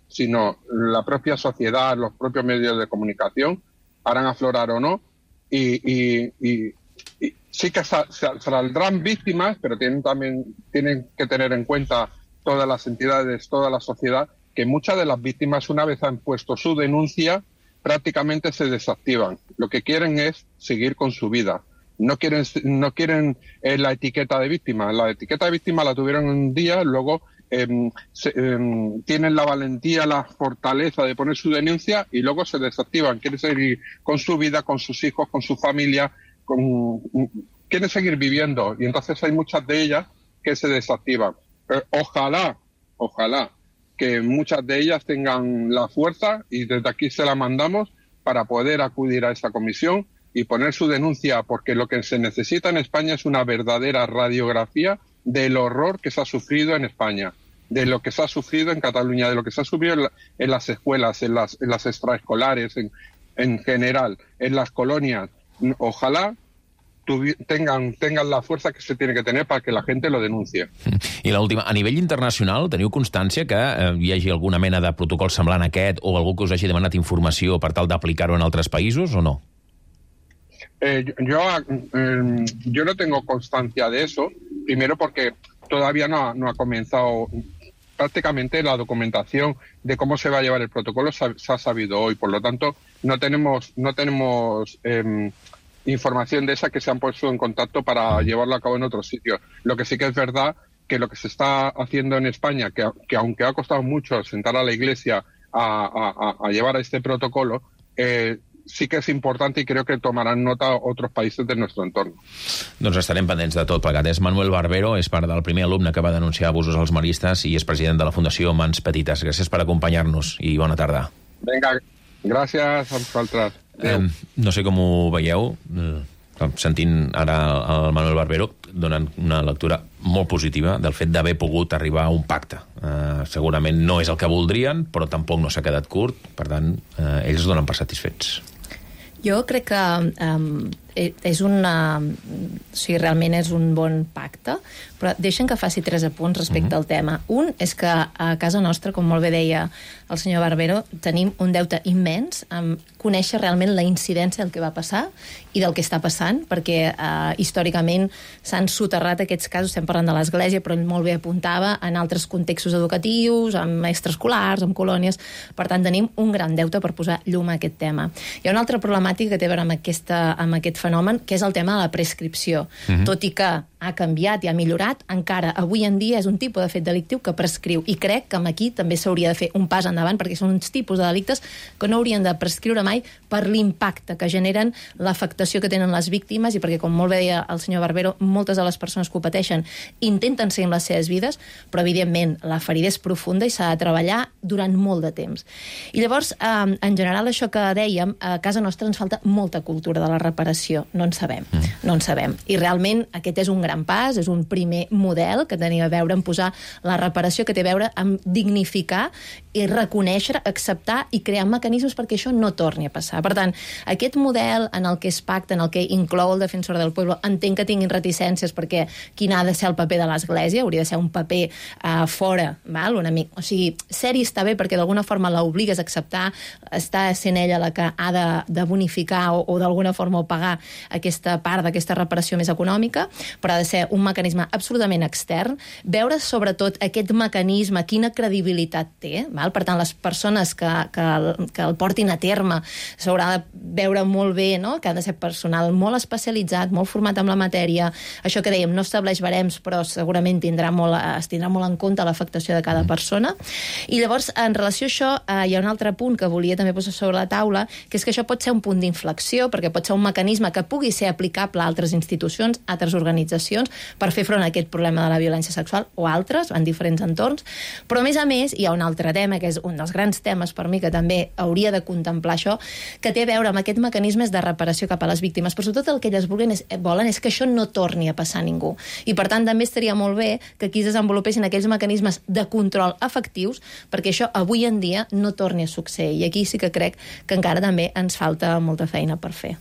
sino la propia sociedad, los propios medios de comunicación harán aflorar o no, y sí que saldrán víctimas, pero tienen que tener en cuenta todas las entidades, toda la sociedad, que muchas de las víctimas, una vez han puesto su denuncia, prácticamente se desactivan. Lo que quieren es seguir con su vida. No quieren la etiqueta de víctima. La etiqueta de víctima la tuvieron un día, luego tienen la valentía, la fortaleza de poner su denuncia y luego se desactivan. Quieren seguir con su vida, con sus hijos, con su familia, quieren seguir viviendo. Y entonces hay muchas de ellas que se desactivan. Ojalá que muchas de ellas tengan la fuerza, y desde aquí se la mandamos, para poder acudir a esta comisión y poner su denuncia, porque lo que se necesita en España es una verdadera radiografía del horror que se ha sufrido en España, de lo que se ha sufrido en Cataluña, de lo que se ha sufrido en las escuelas, en las extraescolares, en general, en las colonias. Ojalá tengan la fuerza que se tiene que tener para que la gente lo denuncie. I l'última, a nivell internacional, teniu constància que hi hagi alguna mena de protocol semblant a aquest o algú que us hagi demanat informació per tal d'aplicar-ho en altres països o no? Yo no tengo constancia de eso, primero porque todavía no ha comenzado prácticamente la documentación de cómo se va a llevar el protocolo, se ha sabido hoy, por lo tanto no tenemos información de esa que se han puesto en contacto para llevarlo a cabo en otros sitios. Lo que sí que es verdad que lo que se está haciendo en España, que aunque ha costado mucho sentar a la Iglesia a llevar a este protocolo, sí que és important i crec que tomaran nota otros països de nuestro entorno. Doncs estarem pendents de tot plegat. És Manuel Barbero, és part del primer alumne que va denunciar abusos als maristes i és president de la Fundació Mans Petites. Gràcies per acompanyar-nos i bona tarda. Vinga, gràcies a vosaltres. No sé com ho veieu. sentint ara el Manuel Barbero, donen una lectura molt positiva del fet d'haver pogut arribar a un pacte. Segurament no és el que voldrien, però tampoc no s'ha quedat curt, per tant, ells es donen per satisfets. Jo crec que és una... O sigui, realment és un bon pacte, però deixen que faci 3 apunts respecte al tema. Un és que a casa nostra, com molt bé deia el senyor Barbero, tenim un deute immens amb conèixer realment la incidència del que va passar i del que està passant, perquè històricament s'han soterrat aquests casos, estem parlant de l'Església, però ell molt bé apuntava en altres contextos educatius, amb extraescolars, amb colònies. Per tant, tenim un gran deute per posar llum a aquest tema. Hi ha una altra problemàtica que té a veure amb aquest fenomen, que és el tema de la prescripció. Tot i que ha canviat i ha millorat, encara avui en dia és un tipus de fet delictiu que prescriu. I crec que aquí també s'hauria de fer un pas endavant, perquè són uns tipus de delictes que no haurien de prescriure mai per l'impacte que generen, l'afectació que tenen les víctimes, i perquè, com molt bé deia el senyor Barbero, moltes de les persones que ho pateixen intenten seguir les seves vides, però evidentment la ferida és profunda i s'ha de treballar durant molt de temps. I llavors, en general, això que dèiem, a casa nostra ens falta molta cultura de la reparació. No en sabem. I realment aquest és un gran pas, és un primer model que tenia a veure amb posar la reparació, que té a veure amb dignificar i reconèixer, acceptar i crear mecanismes perquè això no torni a passar. Per tant, aquest model en el que es pacta, en el que inclou el defensor del pueblo, entenc que tinguin reticències perquè quin ha de ser el paper de l'Església, hauria de ser un paper fora, val? O sigui, ser-hi està bé perquè d'alguna forma l'obligues a acceptar, està sent ella la que ha de bonificar o d'alguna forma pagar aquesta part d'aquesta reparació més econòmica, però ha de ser un mecanisme absolutament extern, veure sobretot aquest mecanisme, quina credibilitat té, val? Per tant, les persones que el portin a terme s'haurà de veure molt bé, no? Que ha de ser personal molt especialitzat, molt format amb la matèria. Això que dèiem, no estableix barems, però segurament es tindrà molt en compte l'afectació de cada persona. I llavors, en relació a això, hi ha un altre punt que volia també posar sobre la taula, que és que això pot ser un punt d'inflexió, perquè pot ser un mecanisme que pugui ser aplicable a altres institucions, a altres organitzacions, per fer front a aquest problema de la violència sexual, o altres, en diferents entorns. Però, a més, hi ha un altre tema, que és un dels grans temes per mi, que també hauria de contemplar això, que té a veure amb aquests mecanismes de reparació cap a les víctimes. Però sobretot el que elles volen és que això no torni a passar a ningú. I, per tant, també estaria molt bé que aquí es desenvolupessin aquells mecanismes de control efectius perquè això avui en dia no torni a succeir. I aquí sí que crec que encara també ens falta molta feina per fer.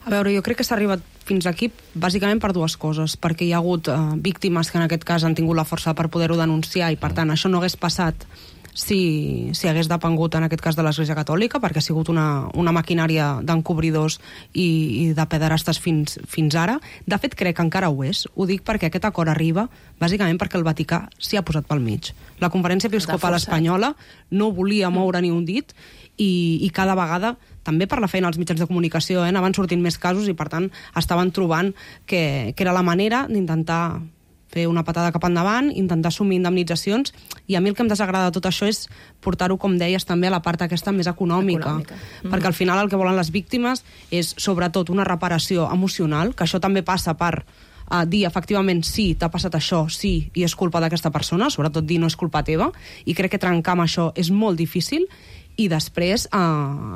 A veure, jo crec que s'ha arribat fins aquí bàsicament per 2 coses, perquè hi ha hagut víctimes que en aquest cas han tingut la força per poder-ho denunciar i, per tant, això no hagués passat si hagués depengut en aquest cas de l'Església Catòlica, perquè ha sigut una maquinària d'encobridors i de pederastes fins ara. De fet, crec que encara ho és. Ho dic perquè aquest acord arriba bàsicament perquè el Vaticà s'hi ha posat pel mig. La Conferència Episcopal Espanyola no volia moure ni un dit i cada vegada, també per la feina als mitjans de comunicació, anaven sortint més casos i, per tant, estaven trobant que era la manera d'intentar fer una patada cap endavant, intentar assumir indemnitzacions, i a mi el que em desagrada de tot això és portar-ho, com deies, també a la part aquesta més econòmica. Perquè al final el que volen les víctimes és, sobretot, una reparació emocional, que això també passa per dir, efectivament, sí, t'ha passat això, sí, i és culpa d'aquesta persona, sobretot dir no és culpa teva, i crec que trencar amb això és molt difícil, i després,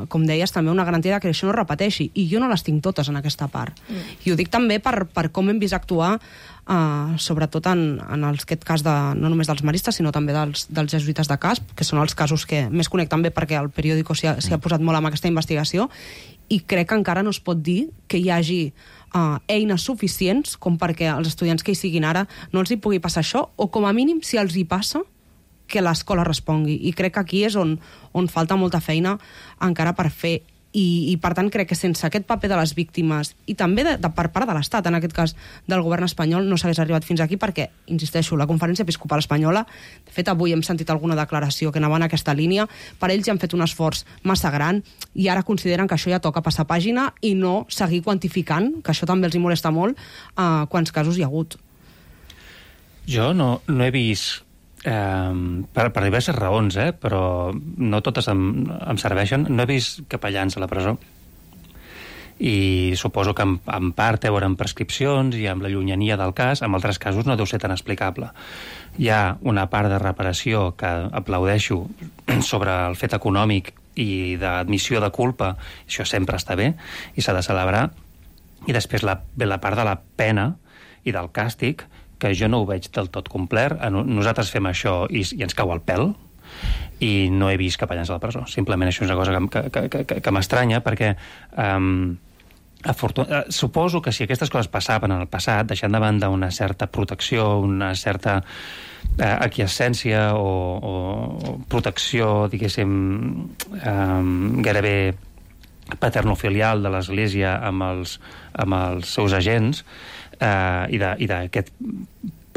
com deies, també una garantia que això no es repeteixi, i jo no les tinc totes en aquesta part. I ho dic també per com hem vist actuar, sobretot en aquest cas no només dels maristes, sinó també dels jesuïtes de Casp, que són els casos que més conec també perquè el periòdico s'hi ha posat molt amb aquesta investigació, i crec que encara no es pot dir que hi hagi eines suficients com perquè els estudiants que hi siguin ara no els hi pugui passar això, o com a mínim, si els hi passa, que l'escola respongui. I crec que aquí és on falta molta feina encara per fer. I per tant, crec que sense aquest paper de les víctimes i també per part de l'Estat, en aquest cas del govern espanyol, no s'hagués arribat fins aquí perquè, insisteixo, la Conferència Episcopal Espanyola, de fet, avui hem sentit alguna declaració que anava en aquesta línia, per ells ja han fet un esforç massa gran i ara consideren que això ja toca passar pàgina i no seguir quantificant, que això també els hi molesta molt, quants casos hi ha hagut. Jo no he vist per diverses raons, però no totes em serveixen. No he vist capellans a la presó i suposo que en part té a veure amb prescripcions i amb la llunyania del cas. En altres casos no deu ser tan explicable. Hi ha una part de reparació que aplaudeixo sobre el fet econòmic i d'admissió de culpa. Això sempre està bé i s'ha de celebrar, I després ve la part de la pena i del càstig, que jo no ho veig del tot complert. Nosaltres fem això i ens cau el pèl, i no he vist capellans a la presó. Simplement això és una cosa que m'estranya, perquè suposo que si aquestes coses passaven en el passat, deixant de banda una certa protecció, una certa aquiescència o protecció, diguéssim, gairebé paternofilial de l'Església amb els seus agents, i d'aquest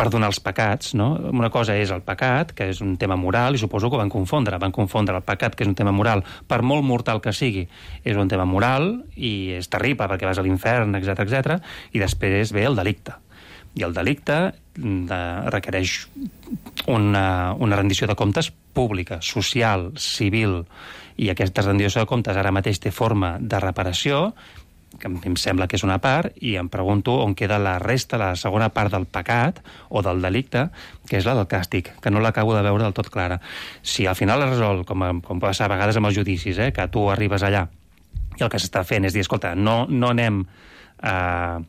perdonar els pecats, no? Una cosa és el pecat, que és un tema moral, i suposo que van confondre el pecat, que és un tema moral, per molt mortal que sigui, és un tema moral, i és terrible perquè vas a l'infern, etc., i després ve el delicte. I el delicte requereix una rendició de comptes pública, social, civil, i aquesta rendició de comptes ara mateix té forma de reparació, que em sembla que és una part, i em pregunto on queda la resta, la segona part del pecat o del delicte, que és la del càstig, que no l'acabo de veure del tot clara. Si al final es resol, com passa a vegades amb els judicis, que tu arribes allà i el que s'està fent és dir, escolta, no anem a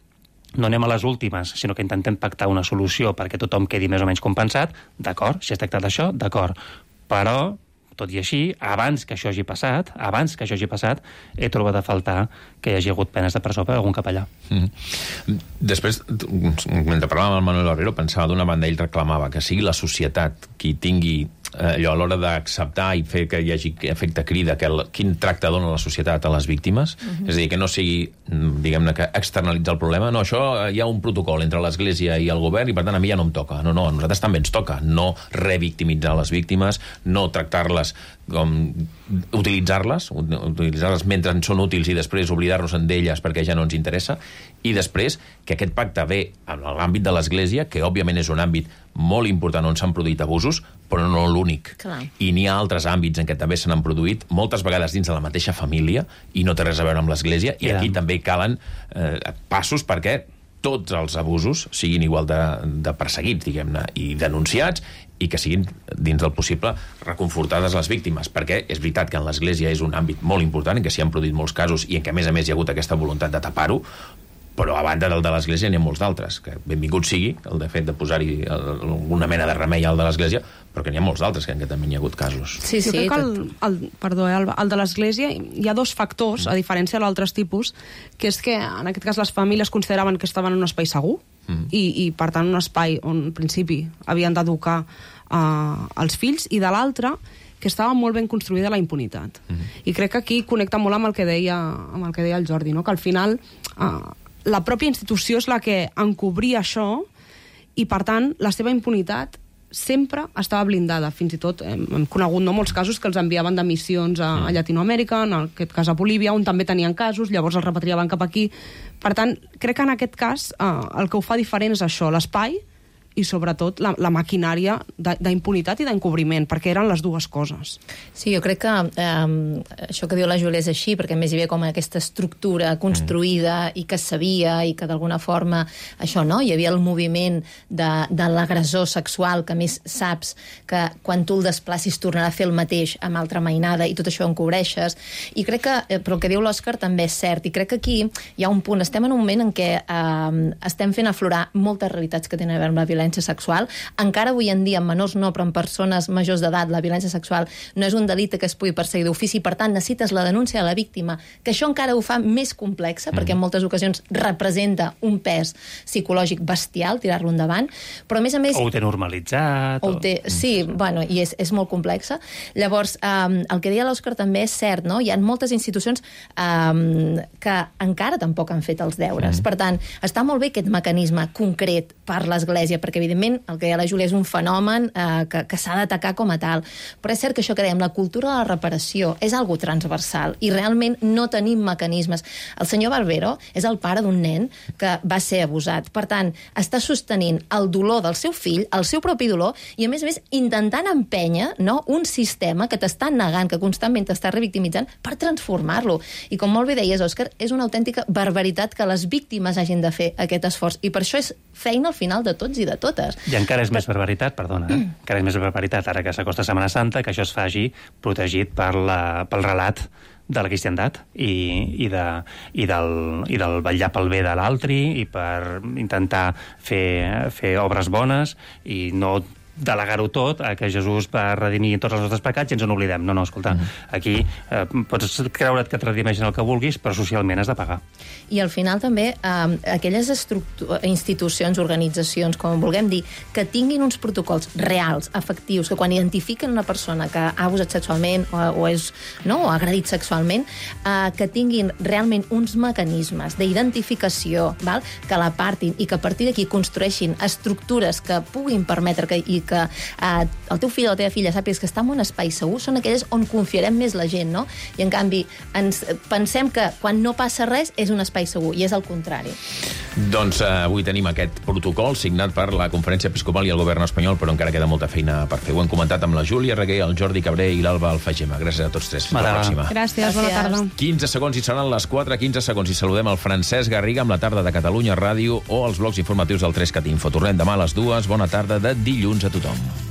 les últimes, sinó que intentem pactar una solució perquè tothom quedi més o menys compensat, d'acord, si es tracta d'això, d'acord, però tot i així, abans que això hagi passat, he trobat a faltar que hi hagi hagut penes de presó per algun capellà. Després, mentre parlàvem amb el Manuel Barrero, pensava d'una banda, ell reclamava que sigui la societat qui tingui allò a l'hora d'acceptar i fer que hi hagi efecte crida, quin tracte dona la societat a les víctimes, és a dir, que no sigui, diguem-ne, que externalitzar el problema, no, això hi ha un protocol entre l'Església i el govern i per tant a mi ja no em toca, no, a nosaltres també ens toca no revictimitzar les víctimes, no tractar-les com utilitzar-les mentre en són útils i després oblidar-nos d'elles perquè ja no ens interessa, i després que aquest pacte ve en l'àmbit de l'Església, que òbviament és un àmbit molt important on s'han produït abusos, però no l'únic. I n'hi ha altres àmbits en què també se n'han produït, moltes vegades dins de la mateixa família, i no té res a veure amb l'Església, i aquí també calen passos perquè tots els abusos siguin igual de perseguits, diguem-ne, i denunciats, i que siguin, dins del possible, reconfortades les víctimes, perquè és veritat que en l'Església és un àmbit molt important, en què s'hi han produït molts casos i en què, a més, hi ha hagut aquesta voluntat de tapar-ho, però a banda del de l'Església n'hi ha molts d'altres, que benvingut sigui el de fet de posar-hi alguna mena de remei al de l'Església, però que n'hi ha molts d'altres que també n'hi ha hagut casos. Sí, jo crec que el de l'Església hi ha dos factors, a diferència d'altres tipus, que és que en aquest cas les famílies consideraven que estaven en un espai segur i per tant un espai on en principi havien d'educar els fills, i de l'altre que estava molt ben construïda la impunitat. I crec que aquí connecta molt amb el que deia el Jordi, no? Que al final la pròpia institució és la que encobria això i, per tant, la seva impunitat sempre estava blindada. Fins i tot hem conegut molts casos que els enviaven de missions a Llatinoamèrica, en aquest cas a Bolívia, on també tenien casos, llavors els repatriaven cap aquí. Per tant, crec que en aquest cas el que ho fa diferent és això, l'espai, i sobretot la maquinària d'impunitat i d'encobriment, perquè eren les dues coses. Sí, jo crec que això que diu la Júlia és així, perquè a més hi havia com aquesta estructura construïda i que es sabia i que d'alguna forma això, no? Hi havia el moviment de l'agressor sexual, que a més saps que quan tu el desplacis tornarà a fer el mateix amb altra mainada i tot això ho encobreixes. I crec que, però el que diu l'Òscar també és cert, i crec que aquí hi ha un punt, estem en un moment en què estem fent aflorar moltes realitats que tenen a veure amb la violència sexual. Encara avui en dia, en menors no, però en persones majors d'edat, la violència sexual no és un delicte que es pugui perseguir d'ofici, per tant necessites la denúncia de la víctima, que això encara ho fa més complexa, perquè en moltes ocasions representa un pes psicològic bestial, tirar-lo endavant, però a més... O ho té normalitzat. Sí, bueno, i és molt complexa. Llavors, el que deia l'Òscar també és cert, no? Hi ha moltes institucions que encara tampoc han fet els deures. Per tant, està molt bé aquest mecanisme concret per l'Església, perquè evidentment el que deia la Júlia és un fenomen que s'ha d'atacar com a tal, però és cert que això que dèiem, la cultura de la reparació és algo transversal i realment no tenim mecanismes. El senyor Barbero és el pare d'un nen que va ser abusat, per tant està sostenint el dolor del seu fill, el seu propi dolor, i a més intentant empènyer, no, un sistema que t'està negant, que constantment t'està revictimitzant, per transformar-lo. I com molt bé deies, Òscar, és una autèntica barbaritat que les víctimes hagin de fer aquest esforç, i per això és feina al final de tots i de totes. I encara és més barbaritat, encara és més barbaritat ara que s'acosta Setmana Santa, que això es faci protegit pel relat de la cristiandat i del vetllar pel bé de l'altre i per intentar fer obres bones i no delegar-ho tot a que Jesús va redimir tots els nostres pecats i ens en oblidem. No, escolta, aquí pots creure't que et redimeixen el que vulguis, però socialment has de pagar. I al final també aquelles institucions, organitzacions, com vulguem dir, que tinguin uns protocols reals, efectius, que quan identifiquen una persona que ha abusat sexualment o ha agredit sexualment, que tinguin realment uns mecanismes d'identificació, que l'apartin i que a partir d'aquí construeixin estructures que puguin permetre i que el teu fill o la teva filla sàpigues que està en un espai segur, són aquelles on confiarem més la gent, no? I en canvi pensem que quan no passa res és un espai segur, i és el contrari. Doncs avui tenim aquest protocol signat per la Conferència Episcopal i el Govern espanyol, però encara queda molta feina per fer. Ho hem comentat amb la Júlia Reguer, el Jordi Cabré i l'Alba Alfagema. Gràcies a tots tres. Fins la pròxima. Gràcies, bona tarda. 15 segons i seran les 4:15 segons i saludem el Francesc Garriga amb la tarda de Catalunya Ràdio o els blocs informatius del 3CAT Info. Tornem demà a les 2. Bona tarda de dilluns a tothom.